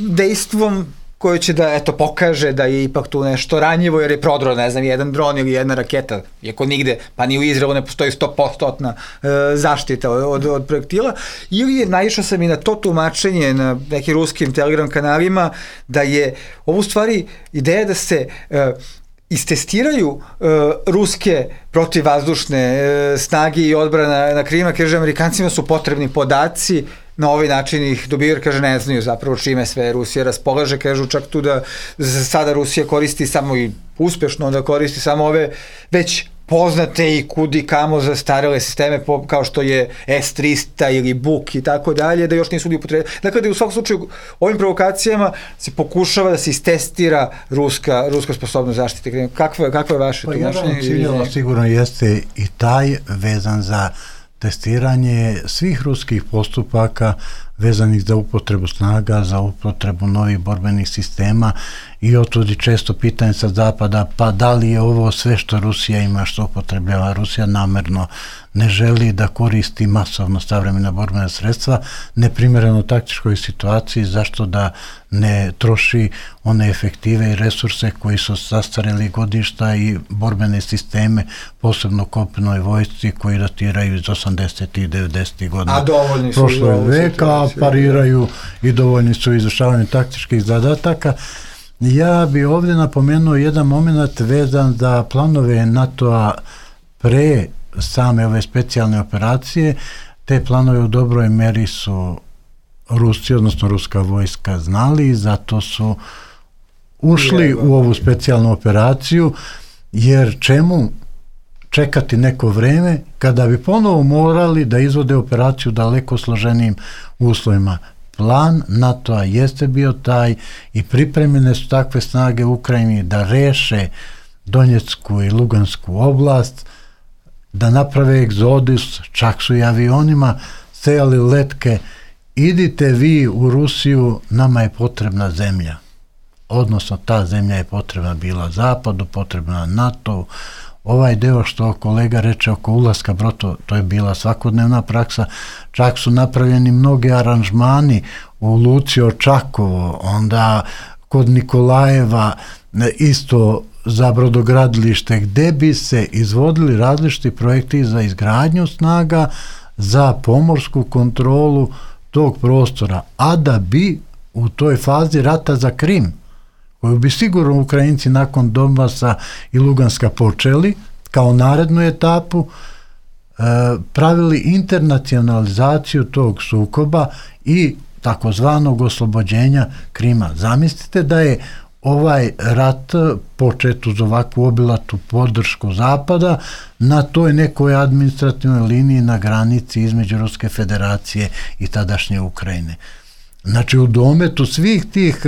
dejstvom koje će da, eto, pokaže da je ipak tu nešto ranjivo, jer je prodro, ne znam, jedan dron ili jedna raketa, iako nigde, pa ni u Izraelu ne postoji 100% zaštita od projektila, ili je, naišao sam i na to tumačenje na nekim ruskim Telegram kanalima, da je ovo u stvari ideja da se istestiraju ruske protivvazdušne snage i odbrana na Krima, kaže, Amerikancima su potrebni podaci, na ovaj način ih dobiju, jer kaže ne znaju zapravo čime sve Rusija raspolaže, kažu čak tu da sada Rusija koristi samo i uspešno da koristi samo ove već poznate i kudi kamo zastarele sisteme kao što je S-300 ili Buk i tako dalje, da još nisu li upotrebili. Dakle, da u svakom slučaju ovim provokacijama se pokušava da se istestira ruska sposobnost zaštite. Kakvo je vaše tumačenje? Jedan ciljeva sigurno jeste i taj vezan za testiranje svih ruskih postupaka vezanih za upotrebu snaga, za upotrebu novih borbenih sistema i otudi često pitanje sa zapada, pa da li je ovo sve što Rusija ima, što upotrebljava? Rusija namerno ne želi da koristi masovno savremena borbena sredstva, neprimjereno taktičkoj situaciji, zašto da ne troši one efektive i resurse koji su zastareli godišta i borbene sisteme, posebno kopnoj vojsci koji datiraju iz 80. i 90. godina prošlog veka, pariraju i dovoljni su izvršavanju taktičkih zadataka. Ja bi ovdje napomenuo jedan moment vezan za planove NATO-a pre same ove specijalne operacije. Te planove u dobroj meri su Rusi, odnosno ruska vojska znali i zato su ušli u ovu specijalnu operaciju, jer čemu čekati neko vreme kada bi ponovo morali da izvode operaciju daleko složenijim uslovima. Plan NATO-a jeste bio taj i pripremljene su takve snage u Ukrajini da reše Donjecku i Lugansku oblast, da naprave egzodus, čak su i avionima sejali letke, idite vi u Rusiju, nama je potrebna zemlja. Odnosno, ta zemlja je potrebna bila Zapadu, potrebna NATO. Ovaj deo što kolega reče oko ulaska Broto, to je bila svakodnevna praksa, čak su napravljeni mnogi aranžmani u Luci Očakovo, onda kod Nikolajeva isto za brodogradilište, gde bi se izvodili različiti projekti za izgradnju snaga, za pomorsku kontrolu tog prostora, a da bi u toj fazi rata za Krim, koju bi sigurno Ukrajinci nakon Donbasa i Luganska počeli kao narednu etapu, pravili internacionalizaciju tog sukoba i takozvanog oslobođenja Krima. Zamislite da je ovaj rat počet uz ovakvu obilatu podršku Zapada na toj nekoj administrativnoj liniji na granici između Ruske federacije i tadašnje Ukrajine. Znači, u dometu svih tih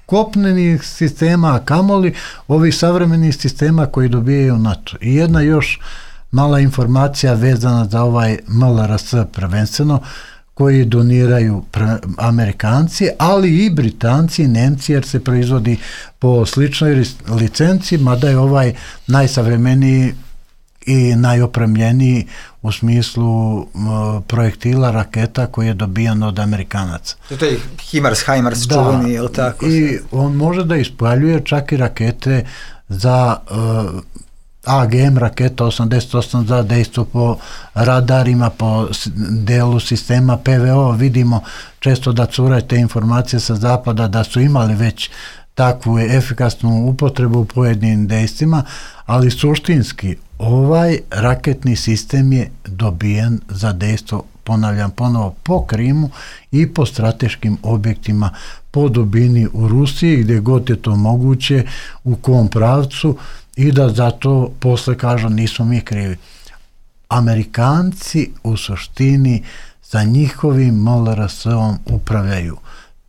kopnenih sistema, a kamoli ovih savremenih sistema koji dobijaju NATO. I jedna još mala informacija vezana za ovaj MLRS prvenstveno, koji doniraju Amerikanci, ali i Britanci i Nemci, jer se proizvodi po sličnoj licenci, mada je ovaj najsavremeniji i najopremljeniji u smislu projektila, raketa koji je dobijan od Amerikanaca. To je HIMARS čuveni, je li tako? I on može da ispaljuje čak i rakete za AGM raketa 88 za dejstvo po radarima, po delu sistema PVO. Vidimo često da cure te informacije sa zapada da su imali već takvu efikasnu upotrebu u pojedinim dejstvima, ali suštinski ovaj raketni sistem je dobijen za dejstvo, ponavljam ponovo, po Krimu i po strateškim objektima po dubini u Rusiji, gdje god je to moguće, u kom pravcu, i da zato posle kažu nismo mi krivi. Amerikanci u suštini sa njihovim MLRS-om upravljaju.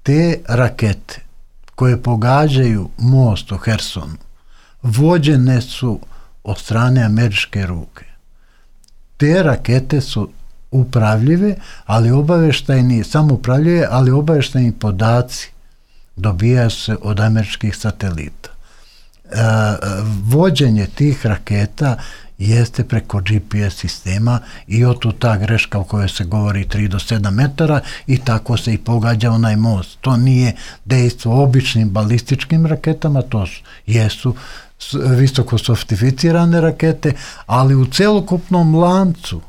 Te rakete koje pogađaju most u Hersonu vođene su od strane američke ruke. Te rakete su upravljive, ali obaveštajni, samo upravljive, ali obaveštajni podaci dobijaju se od američkih satelita. Vođenje tih raketa jeste preko GPS sistema i otud ta greška o kojoj se govori 3 do 7 metara i tako se i pogađa onaj most. To nije dejstvo običnim balističkim raketama, to jesu visoko sofisticirane rakete, ali u celokupnom lancu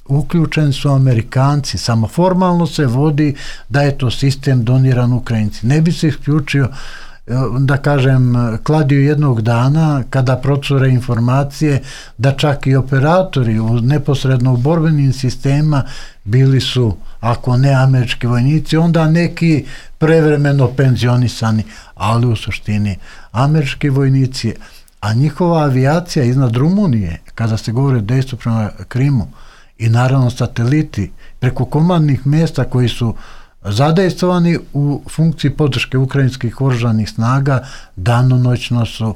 uključeni su Amerikanci, samo formalno se vodi da je to sistem doniran Ukrajinci. Ne bi se isključio, da kažem, kladio jednog dana kada procure informacije da čak i operatori neposredno u borbenim sistema bili su, ako ne američki vojnici, onda neki prevremeno penzionisani, ali u suštini američki vojnici, a njihova avijacija iznad Rumunije, kada se govori o dejstvu prema Krimu, i naravno sateliti preko komandnih mjesta koji su zadejstvovani u funkciji podrške ukrajinskih oružanih snaga, danonoćno su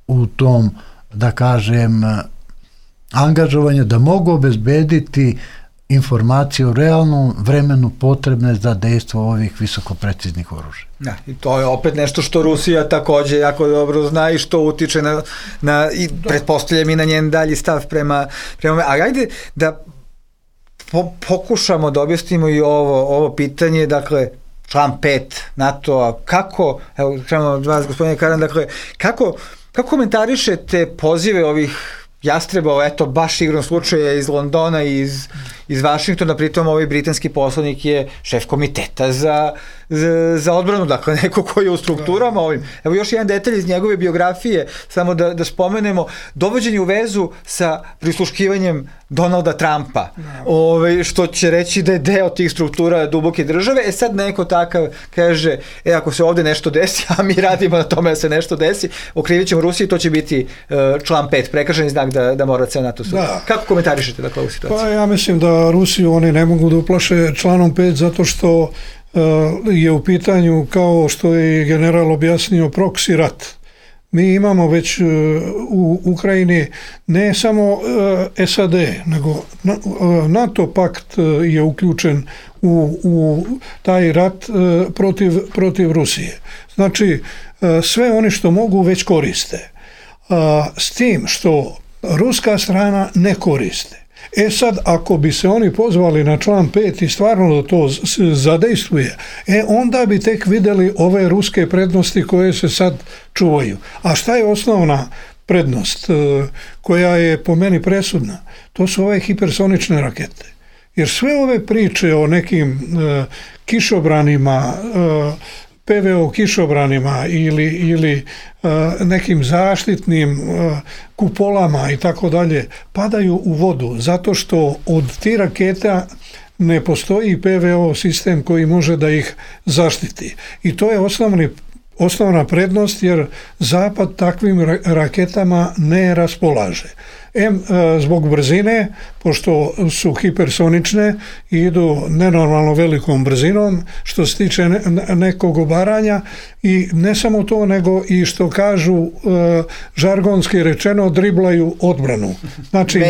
u tom, da kažem, angažovanje da mogu obezbediti informacije u realnom vremenu potrebne za dejstvo ovih visokopreciznih oružja. Ja, i to je opet nešto što Rusija takođe jako dobro zna i što utiče na i pretpostavljam i na njen dalji stav prema ali ajde da pokušamo da objasnimo i ovo pitanje, dakle, član 5 NATO-a, kako, evo, krenemo od vas, gospodine Karan, dakle, kako komentarišete pozive ovih jastrebova, eto, baš igrom slučaja iz Londona i iz Vašingtona, pritom ovaj britanski poslanik je šef komiteta za odbranu, dakle, neko koji je u strukturama ovim. Evo još jedan detalj iz njegove biografije, samo da spomenemo, dovođenje u vezu sa prisluškivanjem Donalda Trumpa, što će reći da je deo tih struktura duboke države. Sad neko takav kaže, ako se ovde nešto desi, a mi radimo na tome da se nešto desi, okrivit ćemo Rusiji, to će biti član 5, prekršeni znak da mora ceo NATO sud. Kako komentarišete dakle ovu situaciju? Pa ja mislim da Rusiju oni ne mogu da uplaše članom 5 zato što je u pitanju, kao što je general objasnio, proksi rat. Mi imamo već u Ukrajini ne samo SAD, nego NATO pakt je uključen u taj rat protiv Rusije. Znači, sve oni što mogu već koriste. S tim što ruska strana ne koriste. Sad, ako bi se oni pozvali na član 5 i stvarno da to zadejstvuje, onda bi tek videli ove ruske prednosti koje se sad čuvaju. A šta je osnovna prednost koja je po meni presudna? To su ove hipersonične rakete. Jer sve ove priče o nekim kišobranima, PVO kišobranima ili nekim zaštitnim kupolama i tako dalje padaju u vodu zato što od tih raketa ne postoji PVO sistem koji može da ih zaštiti. I to je osnovna prednost jer Zapad takvim raketama ne raspolaže. Zbog brzine, pošto su hipersonične i idu nenormalno velikom brzinom, što se tiče nekog obaranja i ne samo to, nego i što kažu žargonski rečeno, driblaju odbranu. Znači,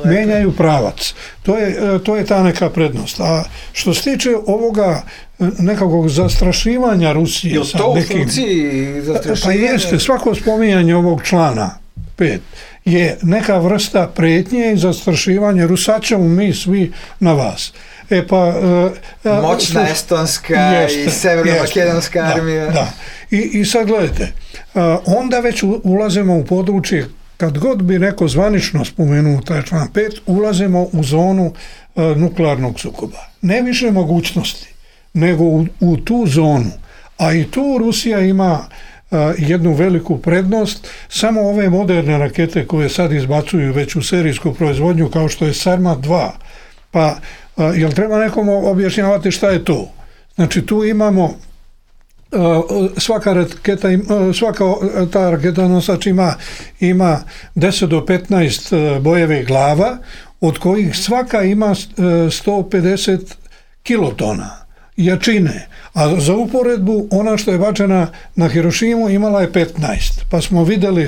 menjaju pravac. To je ta neka prednost. A što se tiče ovoga nekakvog zastrašivanja Rusije... Je to u funkciji zastrašivanja? Pa jeste, svako spominjanje ovog člana 5 je neka vrsta pretnje i zastrašivanja, sad ćemo mi svi na vas. Moćna estonska i severno-makedonska armija. Da. I sad gledajte, onda već ulazimo u područje, kad god bi neko zvanično spomenuo taj član 5, ulazimo u zonu nuklearnog sukoba. Ne više mogućnosti, nego u tu zonu. A i tu Rusija ima jednu veliku prednost, samo ove moderne rakete koje sad izbacuju već u serijsku proizvodnju kao što je Sarmat 2, pa jel treba nekom objašnjavati šta je to? Znači tu imamo svaka ta raketa nosač ima 10 do 15 bojevih glava, od kojih svaka ima 150 kilotona jačine, A za uporedbu, ona što je bačena na Hirošimu imala je 15, pa smo vidjeli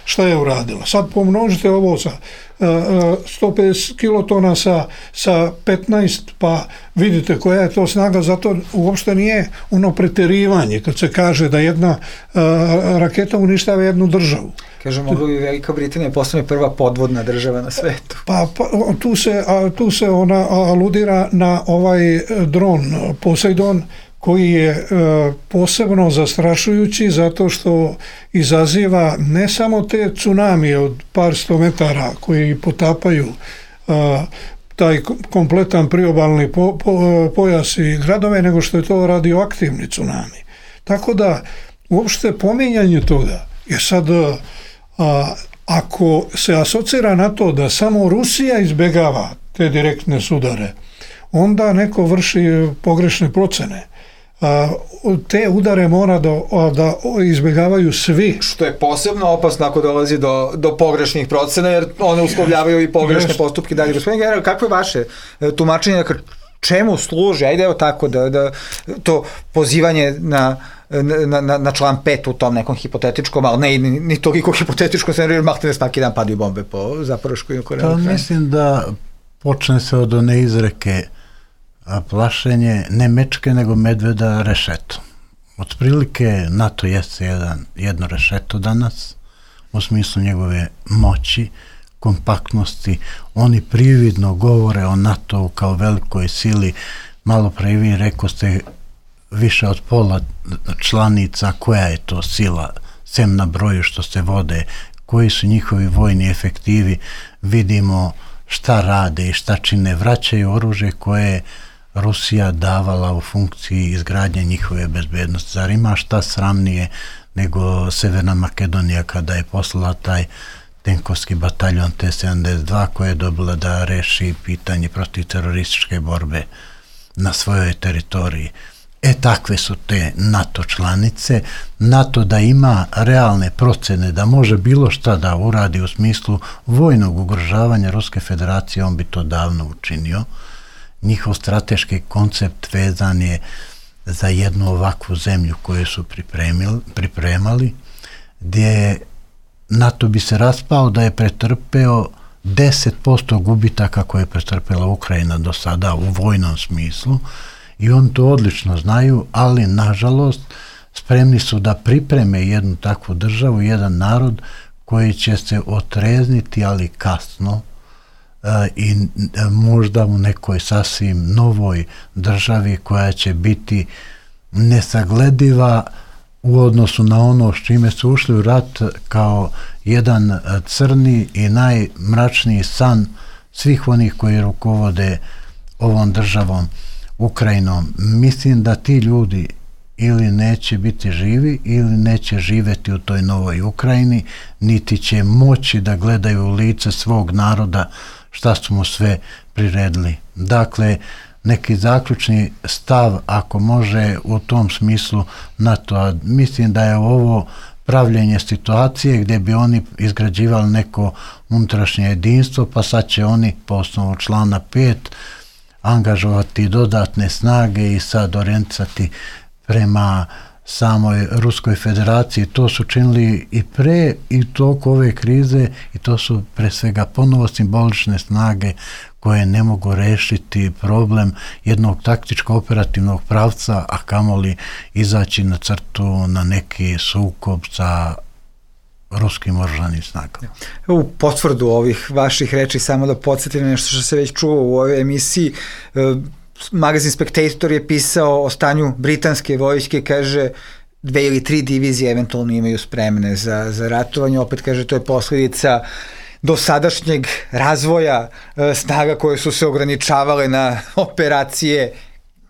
šta je uradila. Sad pomnožite ovo sa 150 kilotona sa 15, pa vidite koja je to snaga, zato uopšte nije ono preterivanje kad se kaže da jedna raketa uništava jednu državu. Kaže, mogla bi Velika Britanija postane prva podvodna država na svetu. Pa tu se ona aludira na ovaj dron Poseidon, koji je posebno zastrašujući zato što izaziva ne samo te tsunamije od par 100 metara koji potapaju taj kompletan priobalni pojas i gradove, nego što je to radioaktivni tsunami. Tako da uopšte pominjanje toga je sad, ako se asocira na to da samo Rusija izbegava te direktne sudare, onda neko vrši pogrešne procene. Te udare mora da izbjegavaju svi. Što je posebno opasno ako dolazi do pogrešnih procena, jer one uslovljavaju i pogrešne postupke dalje. Gospodin general, kako je vaše tumačenje, čemu služi, ajde evo tako, da to pozivanje na član 5 u tom nekom hipotetičkom, ali ne ni toliko hipotetičkom scenariju, jer mahte ne svaki dan padaju bombe po Zaporoškoj nuklearnoj elektrani. Mislim da počne se od one izreke plašenje ne mečke nego medveda rešetom. Otprilike NATO jeste jedno rešeto danas u smislu njegove moći, kompaktnosti. Oni prividno govore o NATO kao velikoj sili. Malo pre vi rekoste više od pola članica, koja je to sila, sem na broju što se vode, koji su njihovi vojni efektivi, vidimo šta rade i šta čine, vraćaju oružje koje Rusija davala u funkciji izgradnje njihove bezbednosti. Zar ima šta sramnije nego Severna Makedonija kada je poslala taj tenkovski bataljon T-72 koja je dobila da reši pitanje protiv terorističke borbe na svojoj teritoriji. Takve su te NATO članice. NATO da ima realne procene da može bilo šta da uradi u smislu vojnog ugrožavanja Ruske federacije, on bi to davno učinio. Njihov strateški koncept vezan je za jednu ovakvu zemlju koju su pripremali, gdje NATO bi se raspao da je pretrpeo 10% gubitaka koje je pretrpela Ukrajina do sada u vojnom smislu, i on to odlično znaju, ali nažalost spremni su da pripreme jednu takvu državu, jedan narod koji će se otrezniti, ali kasno, i možda u nekoj sasvim novoj državi koja će biti nesaglediva u odnosu na ono s čime su ušli u rat kao jedan crni i najmračniji san svih onih koji rukovode ovom državom Ukrajinom. Mislim da ti ljudi ili neće biti živi ili neće živeti u toj novoj Ukrajini, niti će moći da gledaju u lice svog naroda šta su mu sve priredili. Dakle, neki zaključni stav, ako može u tom smislu NATO, mislim da je ovo pravljenje situacije gdje bi oni izgrađivali neko unutrašnje jedinstvo, pa sad će oni po osnovu člana 5 angažovati dodatne snage i sad orijentisati prema samoj Ruskoj federaciji. To su činili i pre i toliko ove krize, i to su pre svega ponovo simbolične snage koje ne mogu rešiti problem jednog taktičko-operativnog pravca, a kamoli izaći na crtu na neki sukob sa ruskim oružanim snagama. U potvrdu ovih vaših reči, samo da podsjetim nešto što se već čuo u ovoj emisiji, magazin Spectator je pisao o stanju britanske vojske, kaže 2 ili 3 divizije eventualno imaju spremne za ratovanje, opet kaže to je posljedica dosadašnjeg razvoja snaga koje su se ograničavale na operacije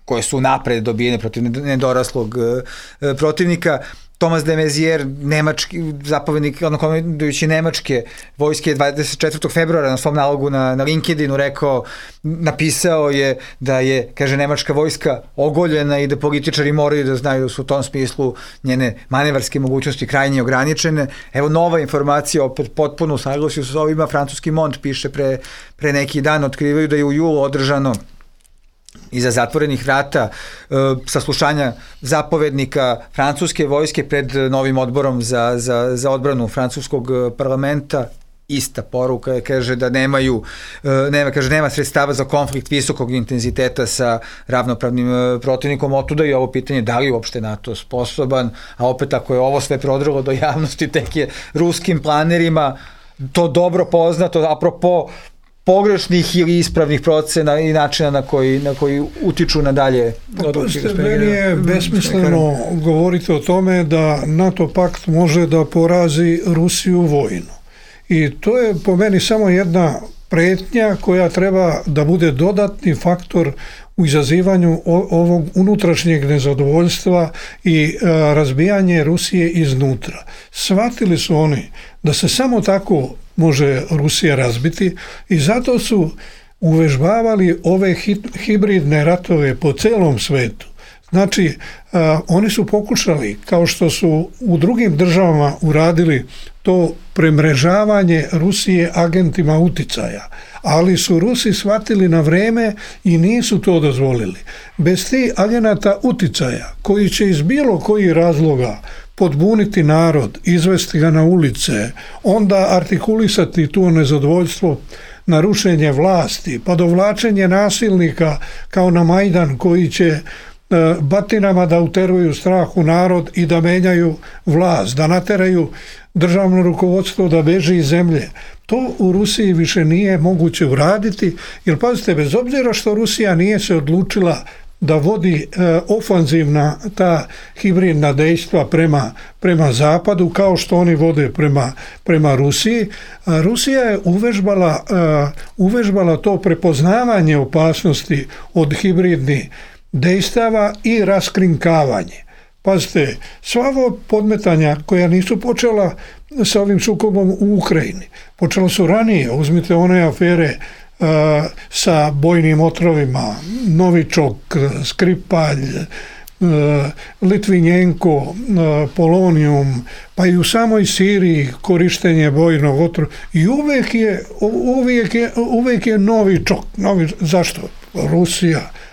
koje su napred dobijene protiv nedoraslog protivnika. Thomas de Maizière, nemački zapovjednik, komandujući nemačke vojske, 24. februara na svom nalogu na LinkedInu napisao je da je, kaže, nemačka vojska ogoljena i da političari moraju da znaju da su u tom smislu njene manevarske mogućnosti krajnje ograničene. Evo nova informacija, opet potpuno u saglasju sa ovima, francuski Mont piše pre neki dan, otkrivaju da je u julu održano iza zatvorenih vrata, saslušanja zapovednika francuske vojske pred novim odborom za odbranu francuskog parlamenta, ista poruka, kaže da nema sredstava za konflikt visokog intenziteta sa ravnopravnim protivnikom, otuda i ovo pitanje da li uopšte NATO sposoban, a opet ako je ovo sve prodrlo do javnosti, tek je ruskim planerima to dobro poznato, apropo pogrešnih ili ispravnih procena i načina na koji utiču na dalje. Meni je besmisleno govoriti o tome da NATO pakt može da porazi Rusiju vojno. I to je po meni samo jedna pretnja koja treba da bude dodatni faktor u izazivanju ovog unutrašnjeg nezadovoljstva i razbijanje Rusije iznutra. Shvatili su oni da se samo tako može Rusija razbiti i zato su uvežbavali ove hibridne ratove po celom svetu. Znači, oni su pokušali, kao što su u drugim državama uradili, to premrežavanje Rusije agentima uticaja, ali su Rusi shvatili na vreme i nisu to dozvolili. Bez tih agenata uticaja, koji će iz bilo kojih razloga podbuniti narod, izvesti ga na ulice, onda artikulisati tu nezadovoljstvo na rušenje vlasti, pa dovlačenje nasilnika kao na Majdan koji će batinama da uteruju strah u narod i da menjaju vlast, da nateraju državno rukovodstvo da beži iz zemlje. To u Rusiji više nije moguće uraditi, jer pazite, bez obzira što Rusija nije se odlučila da vodi ofanzivna ta hibridna dejstva prema zapadu, kao što oni vode prema Rusiji. Rusija je uvežbala to prepoznavanje opasnosti od hibridnih dejstava i raskrinkavanje. Pazite, sva ova podmetanja koja nisu počela sa ovim sukobom u Ukrajini, počela su ranije. Uzmite one afere sa bojnim otrovima, Novičok, Skripalj, Litvinjenko, Polonijum, pa i u samoj Siriji korištenje bojnog otrova. I uvijek je Novičok. Zašto?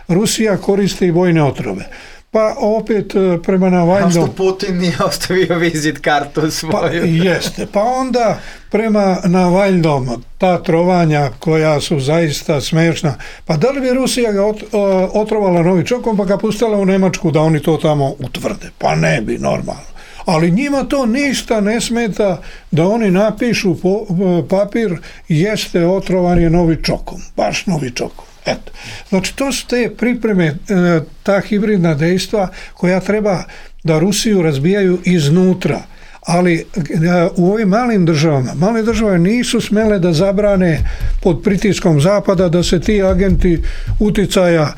Rusija koristi bojne otrove. Pa opet prema Navalnom... A što Putin nije ostavio vizit kartu svoju? Pa, jeste. Pa onda prema Navalnom ta trovanja koja su zaista smešna. Pa da li bi Rusija ga otrovala Novičokom pa ga pustila u Nemačku da oni to tamo utvrde? Pa ne bi, normalno. Ali njima to ništa ne smeta da oni napišu papir jeste otrovan je Novičokom. Baš Novičokom. Eto. Znači, to su te pripreme, ta hibridna dejstva koja treba da Rusiju razbijaju iznutra. Ali u ovim malim državama, male države nisu smele da zabrane pod pritiskom Zapada da se ti agenti uticaja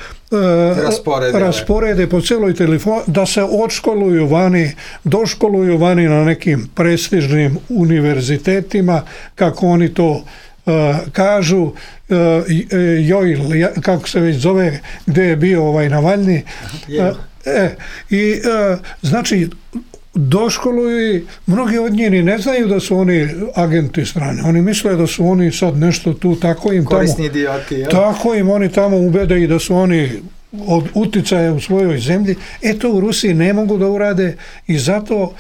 rasporede po celoj telefonu, da se odškoluju vani, doškoluju vani na nekim prestižnim univerzitetima, kako oni to kažu, kako se već zove, gde je bio Navalni. Znači, doškoluju i mnogi od njih ne znaju da su oni agenti strane. Oni misle da su oni sad nešto tu, tako im korisni idioti, tako im oni tamo ubede i da su oni od uticaja u svojoj zemlji. To u Rusiji ne mogu da urade i zato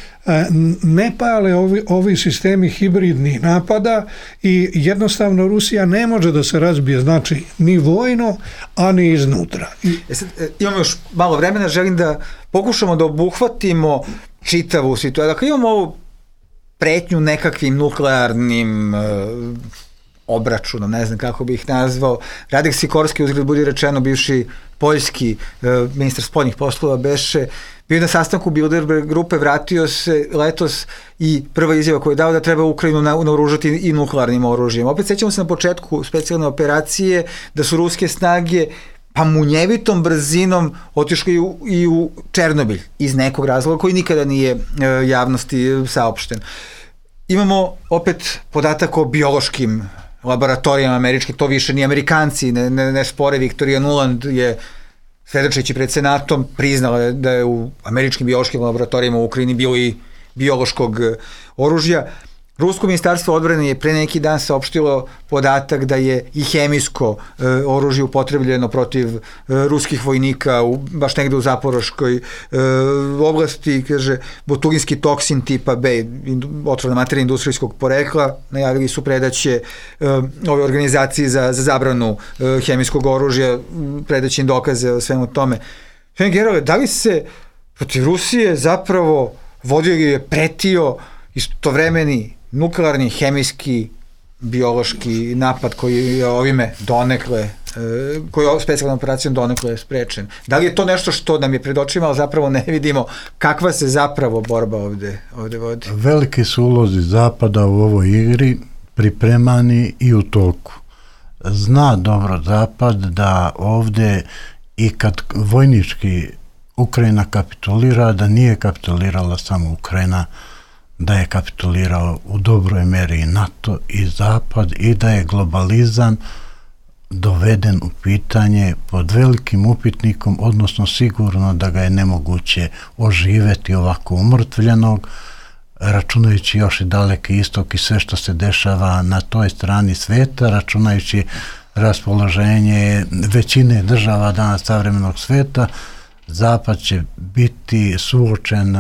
ne pale ovi sistemi hibridnih napada i jednostavno Rusija ne može da se razbije, znači ni vojno, a ni iznutra. Imamo još malo vremena, želim da pokušamo da obuhvatimo čitavu situaciju. Dakle, imamo ovu pretnju nekakvim nuklearnim obračunom, ne znam kako bih ih nazvao. Radek Sikorski, uzgled budi rečeno, bivši poljski ministar spoljnih poslova, beše bio na sastanku Bilderberg grupe, vratio se letos i prva izjava koju je dao da treba Ukrajinu naoružati i nuklearnim oružjem. Opet sećamo se na početku specijalne operacije da su ruske snage pa munjevitom brzinom otišli i u Černobilj iz nekog razloga koji nikada nije javnosti saopšten. Imamo opet podatak o biološkim laboratorijama američkih, to više ni Amerikanci ne spore. Victoria Nuland je, svedočeći pred Senatom, priznala da je u američkim biološkim laboratorijama u Ukrajini bilo i biološkog oružja. Rusko ministarstvo odbrane je pre neki dan saopštilo podatak da je i hemijsko oružje upotrebljeno protiv ruskih vojnika baš negde u Zaporoškoj oblasti, kaže, botulinski toksin tipa B, otrovna materija industrijskog porekla, najavili su predaće ove organizaciji za zabranu hemijskog oružja, predaće im dokaze o svemu tome. Generale, da li se protiv Rusije zapravo vodio ili je pretio istovremeni nuklearni, hemijski, biološki napad koji je ovime donekle, koji je specijalnom operacijom donekle sprečen? Da li je to nešto što nam je pred očima, ali zapravo ne vidimo kakva se zapravo borba ovde vodi? Veliki su ulozi Zapada u ovoj igri, pripremani i u toku. Zna dobro Zapad da ovde i kad vojnički Ukrajina kapitulira, da nije kapitulirala samo Ukrajina, da je kapitulirao u dobroj meri i NATO i Zapad i da je globalizam doveden u pitanje pod velikim upitnikom, odnosno sigurno da ga je nemoguće oživeti ovako umrtvljenog, računajući još i Daleki istok i sve što se dešava na toj strani sveta, računajući raspoloženje većine država danas savremenog sveta, Zapad će biti suočen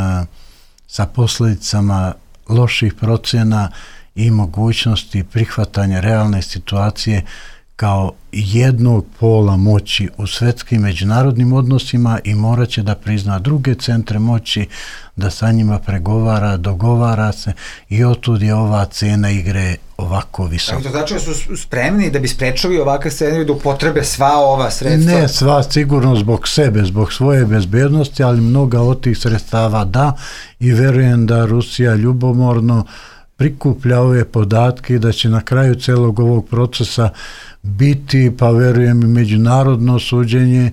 sa posljedicama loših procjena i mogućnosti prihvatanja realne situacije kao jednog pola moći u svetskim međunarodnim odnosima i morat će da prizna druge centre moći, da sa njima pregovara, dogovara se i otud je ova cena igre ovako visoka. To znači da su spremni da bi sprečali ovakav scenarij da upotrebe sva ova sredstva? Ne sva, sigurno zbog sebe, zbog svoje bezbednosti, ali mnoga od tih sredstava da, i verujem da Rusija ljubomorno prikuplja ove podatke i da će na kraju celog ovog procesa biti, pa verujem, i međunarodno suđenje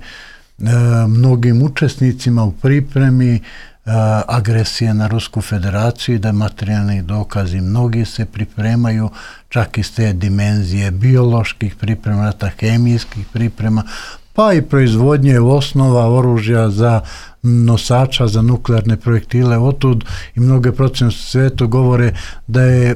mnogim učesnicima u pripremi agresije na Rusku federaciju i da materijalni dokazi mnogi se pripremaju čak iz te dimenzije bioloških priprema, hemijskih priprema, pa i proizvodnje osnova oružja za nosača za nuklearne projektile. Otud i mnoge procene u svetu govore da je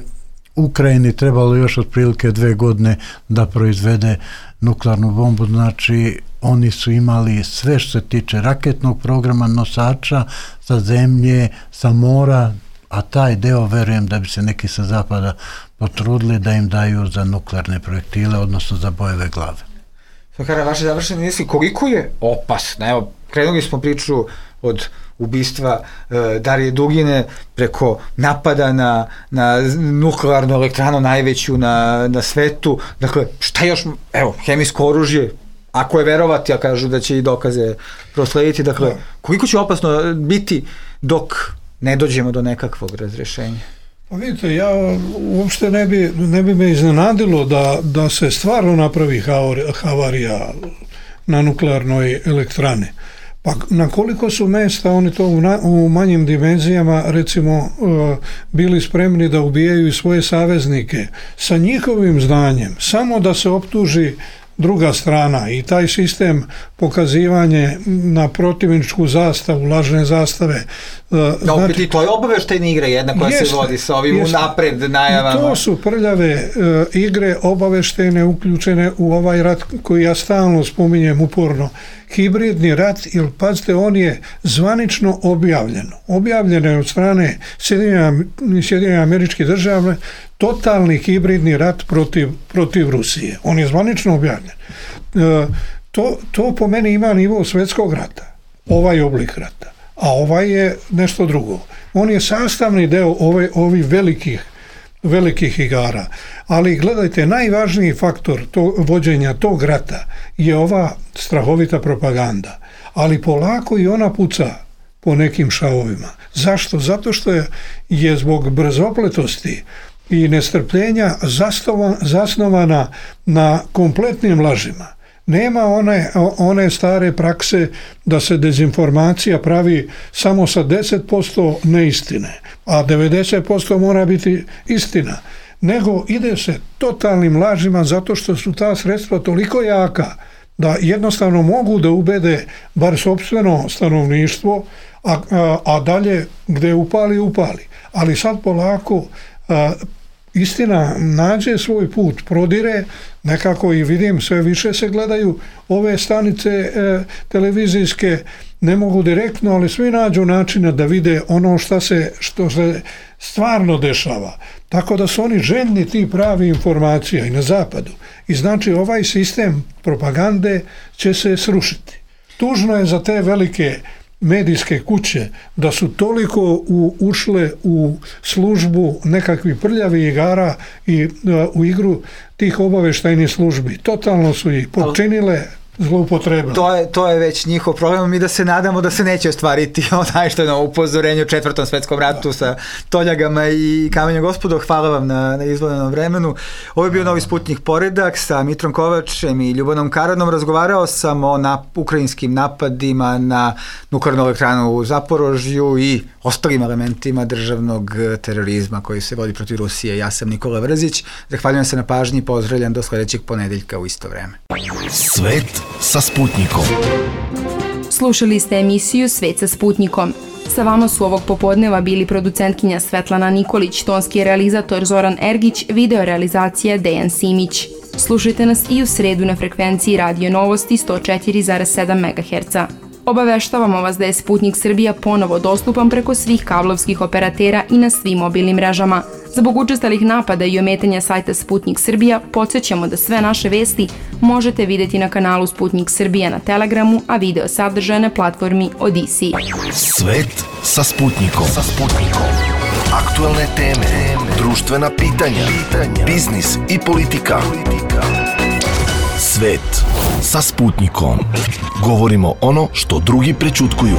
Ukrajini trebalo još otprilike 2 godine da proizvede nuklearnu bombu, znači oni su imali sve što se tiče raketnog programa, nosača sa zemlje, sa mora, a taj deo verujem da bi se neki sa zapada potrudili da im daju za nuklearne projektile, odnosno za bojeve glave. Kara, vaše završene misli, koliko je opasno? Evo, krenuli smo priču od ubistva Darije Dugine preko napada na nuklearnu elektranu najveću na svetu. Dakle, šta još? Evo, hemijsko oružje, ako je verovati, a kažu da će i dokaze proslediti. Dakle, koliko će opasno biti dok ne dođemo do nekakvog razrešenja? Pa vidite, ja uopšte ne bi me iznenadilo da se stvarno napravi havarija na nuklearnoj elektrani. Pa na koliko su mesta oni to u manjim dimenzijama recimo bili spremni da ubijaju i svoje saveznike sa njihovim znanjem, samo da se optuži druga strana i taj sistem pokazivanje na protivničku zastavu, lažne zastave. Opet i to je obaveštajna igra jedna koja se vodi sa ovim unapred najavama. To su prljave igre obaveštajne uključene u ovaj rat koji ja stalno spominjem uporno. Hibridni rat, jer pazite, on je zvanično objavljen. Objavljen je od strane Sjedinjenih Američkih Država totalni hibridni rat protiv Rusije. On je zvanično objavljen. To po meni ima nivo svjetskog rata, ovaj oblik rata, a ovaj je nešto drugo. On je sastavni deo ovih velikih igara, ali gledajte, najvažniji faktor vođenja tog rata je ova strahovita propaganda, ali polako i ona puca po nekim šavovima. Zašto? Zato što je zbog brzopletosti i nestrpljenja zasnovana na kompletnim lažima. Nema one stare prakse da se dezinformacija pravi samo sa 10% neistine, a 90% mora biti istina. Nego ide se totalnim lažima zato što su ta sredstva toliko jaka da jednostavno mogu da ubede bar sopstveno stanovništvo, a dalje gde upali. Ali sad polako istina nađe svoj put, prodire, nekako i vidim sve više se gledaju ove stanice televizijske, ne mogu direktno, ali svi nađu načina da vide ono što se stvarno dešava. Tako da su oni željni ti pravi informacija i na zapadu. I znači ovaj sistem propagande će se srušiti. Tužno je za te velike medijske kuće da su toliko ušle u službu nekakvih prljavih igara i u igru tih obaveštajnih službi. Totalno su ih počinile, zloupotrebile. To je već njihov problem. Mi da se nadamo da se neće ostvariti onaj što je na upozorenju u 4. svetskom ratu sa toljagama i kamenjem. Gospodo, hvala vam na izvojenom vremenu. Ovo je bio Novi Sputnik Poredak sa Mitrom Kovačem i Ljubanom Karanom. Razgovarao sam o ukrajinskim napadima na nuklearnu elektranu u Zaporožju i ostalim elementima državnog terorizma koji se vodi protiv Rusije. Ja sam Nikola Vrzić. Zahvaljujem se na pažnji i pozdravljam do sledećeg ponedeljka u isto vreme. Svet sa Sputnikom. Slušali ste emisiju Svet sa Sputnikom. Sa vama su ovog popodneva bili producentkinja Svetlana Nikolić, tonski realizator Zoran Ergić, video realizacija Dejan Simić. Slušajte nas i u sredu na frekvenciji Radio Novosti 104,7 MHz. Obaveštavamo vas da je Sputnik Srbija ponovo dostupan preko svih kablovskih operatera i na svim mobilnim mrežama. Zbog učestalih napada i ometanja sajta Sputnik Srbija, podsjećamo da sve naše vesti možete vidjeti na kanalu Sputnik Srbija na Telegramu, a video sadržaje na platformi Odisi. Svet sa Sputnikom. Aktualne teme, društvena pitanja, biznis i politika. Svet sa Sputnikom. Govorimo ono što drugi prećutkuju.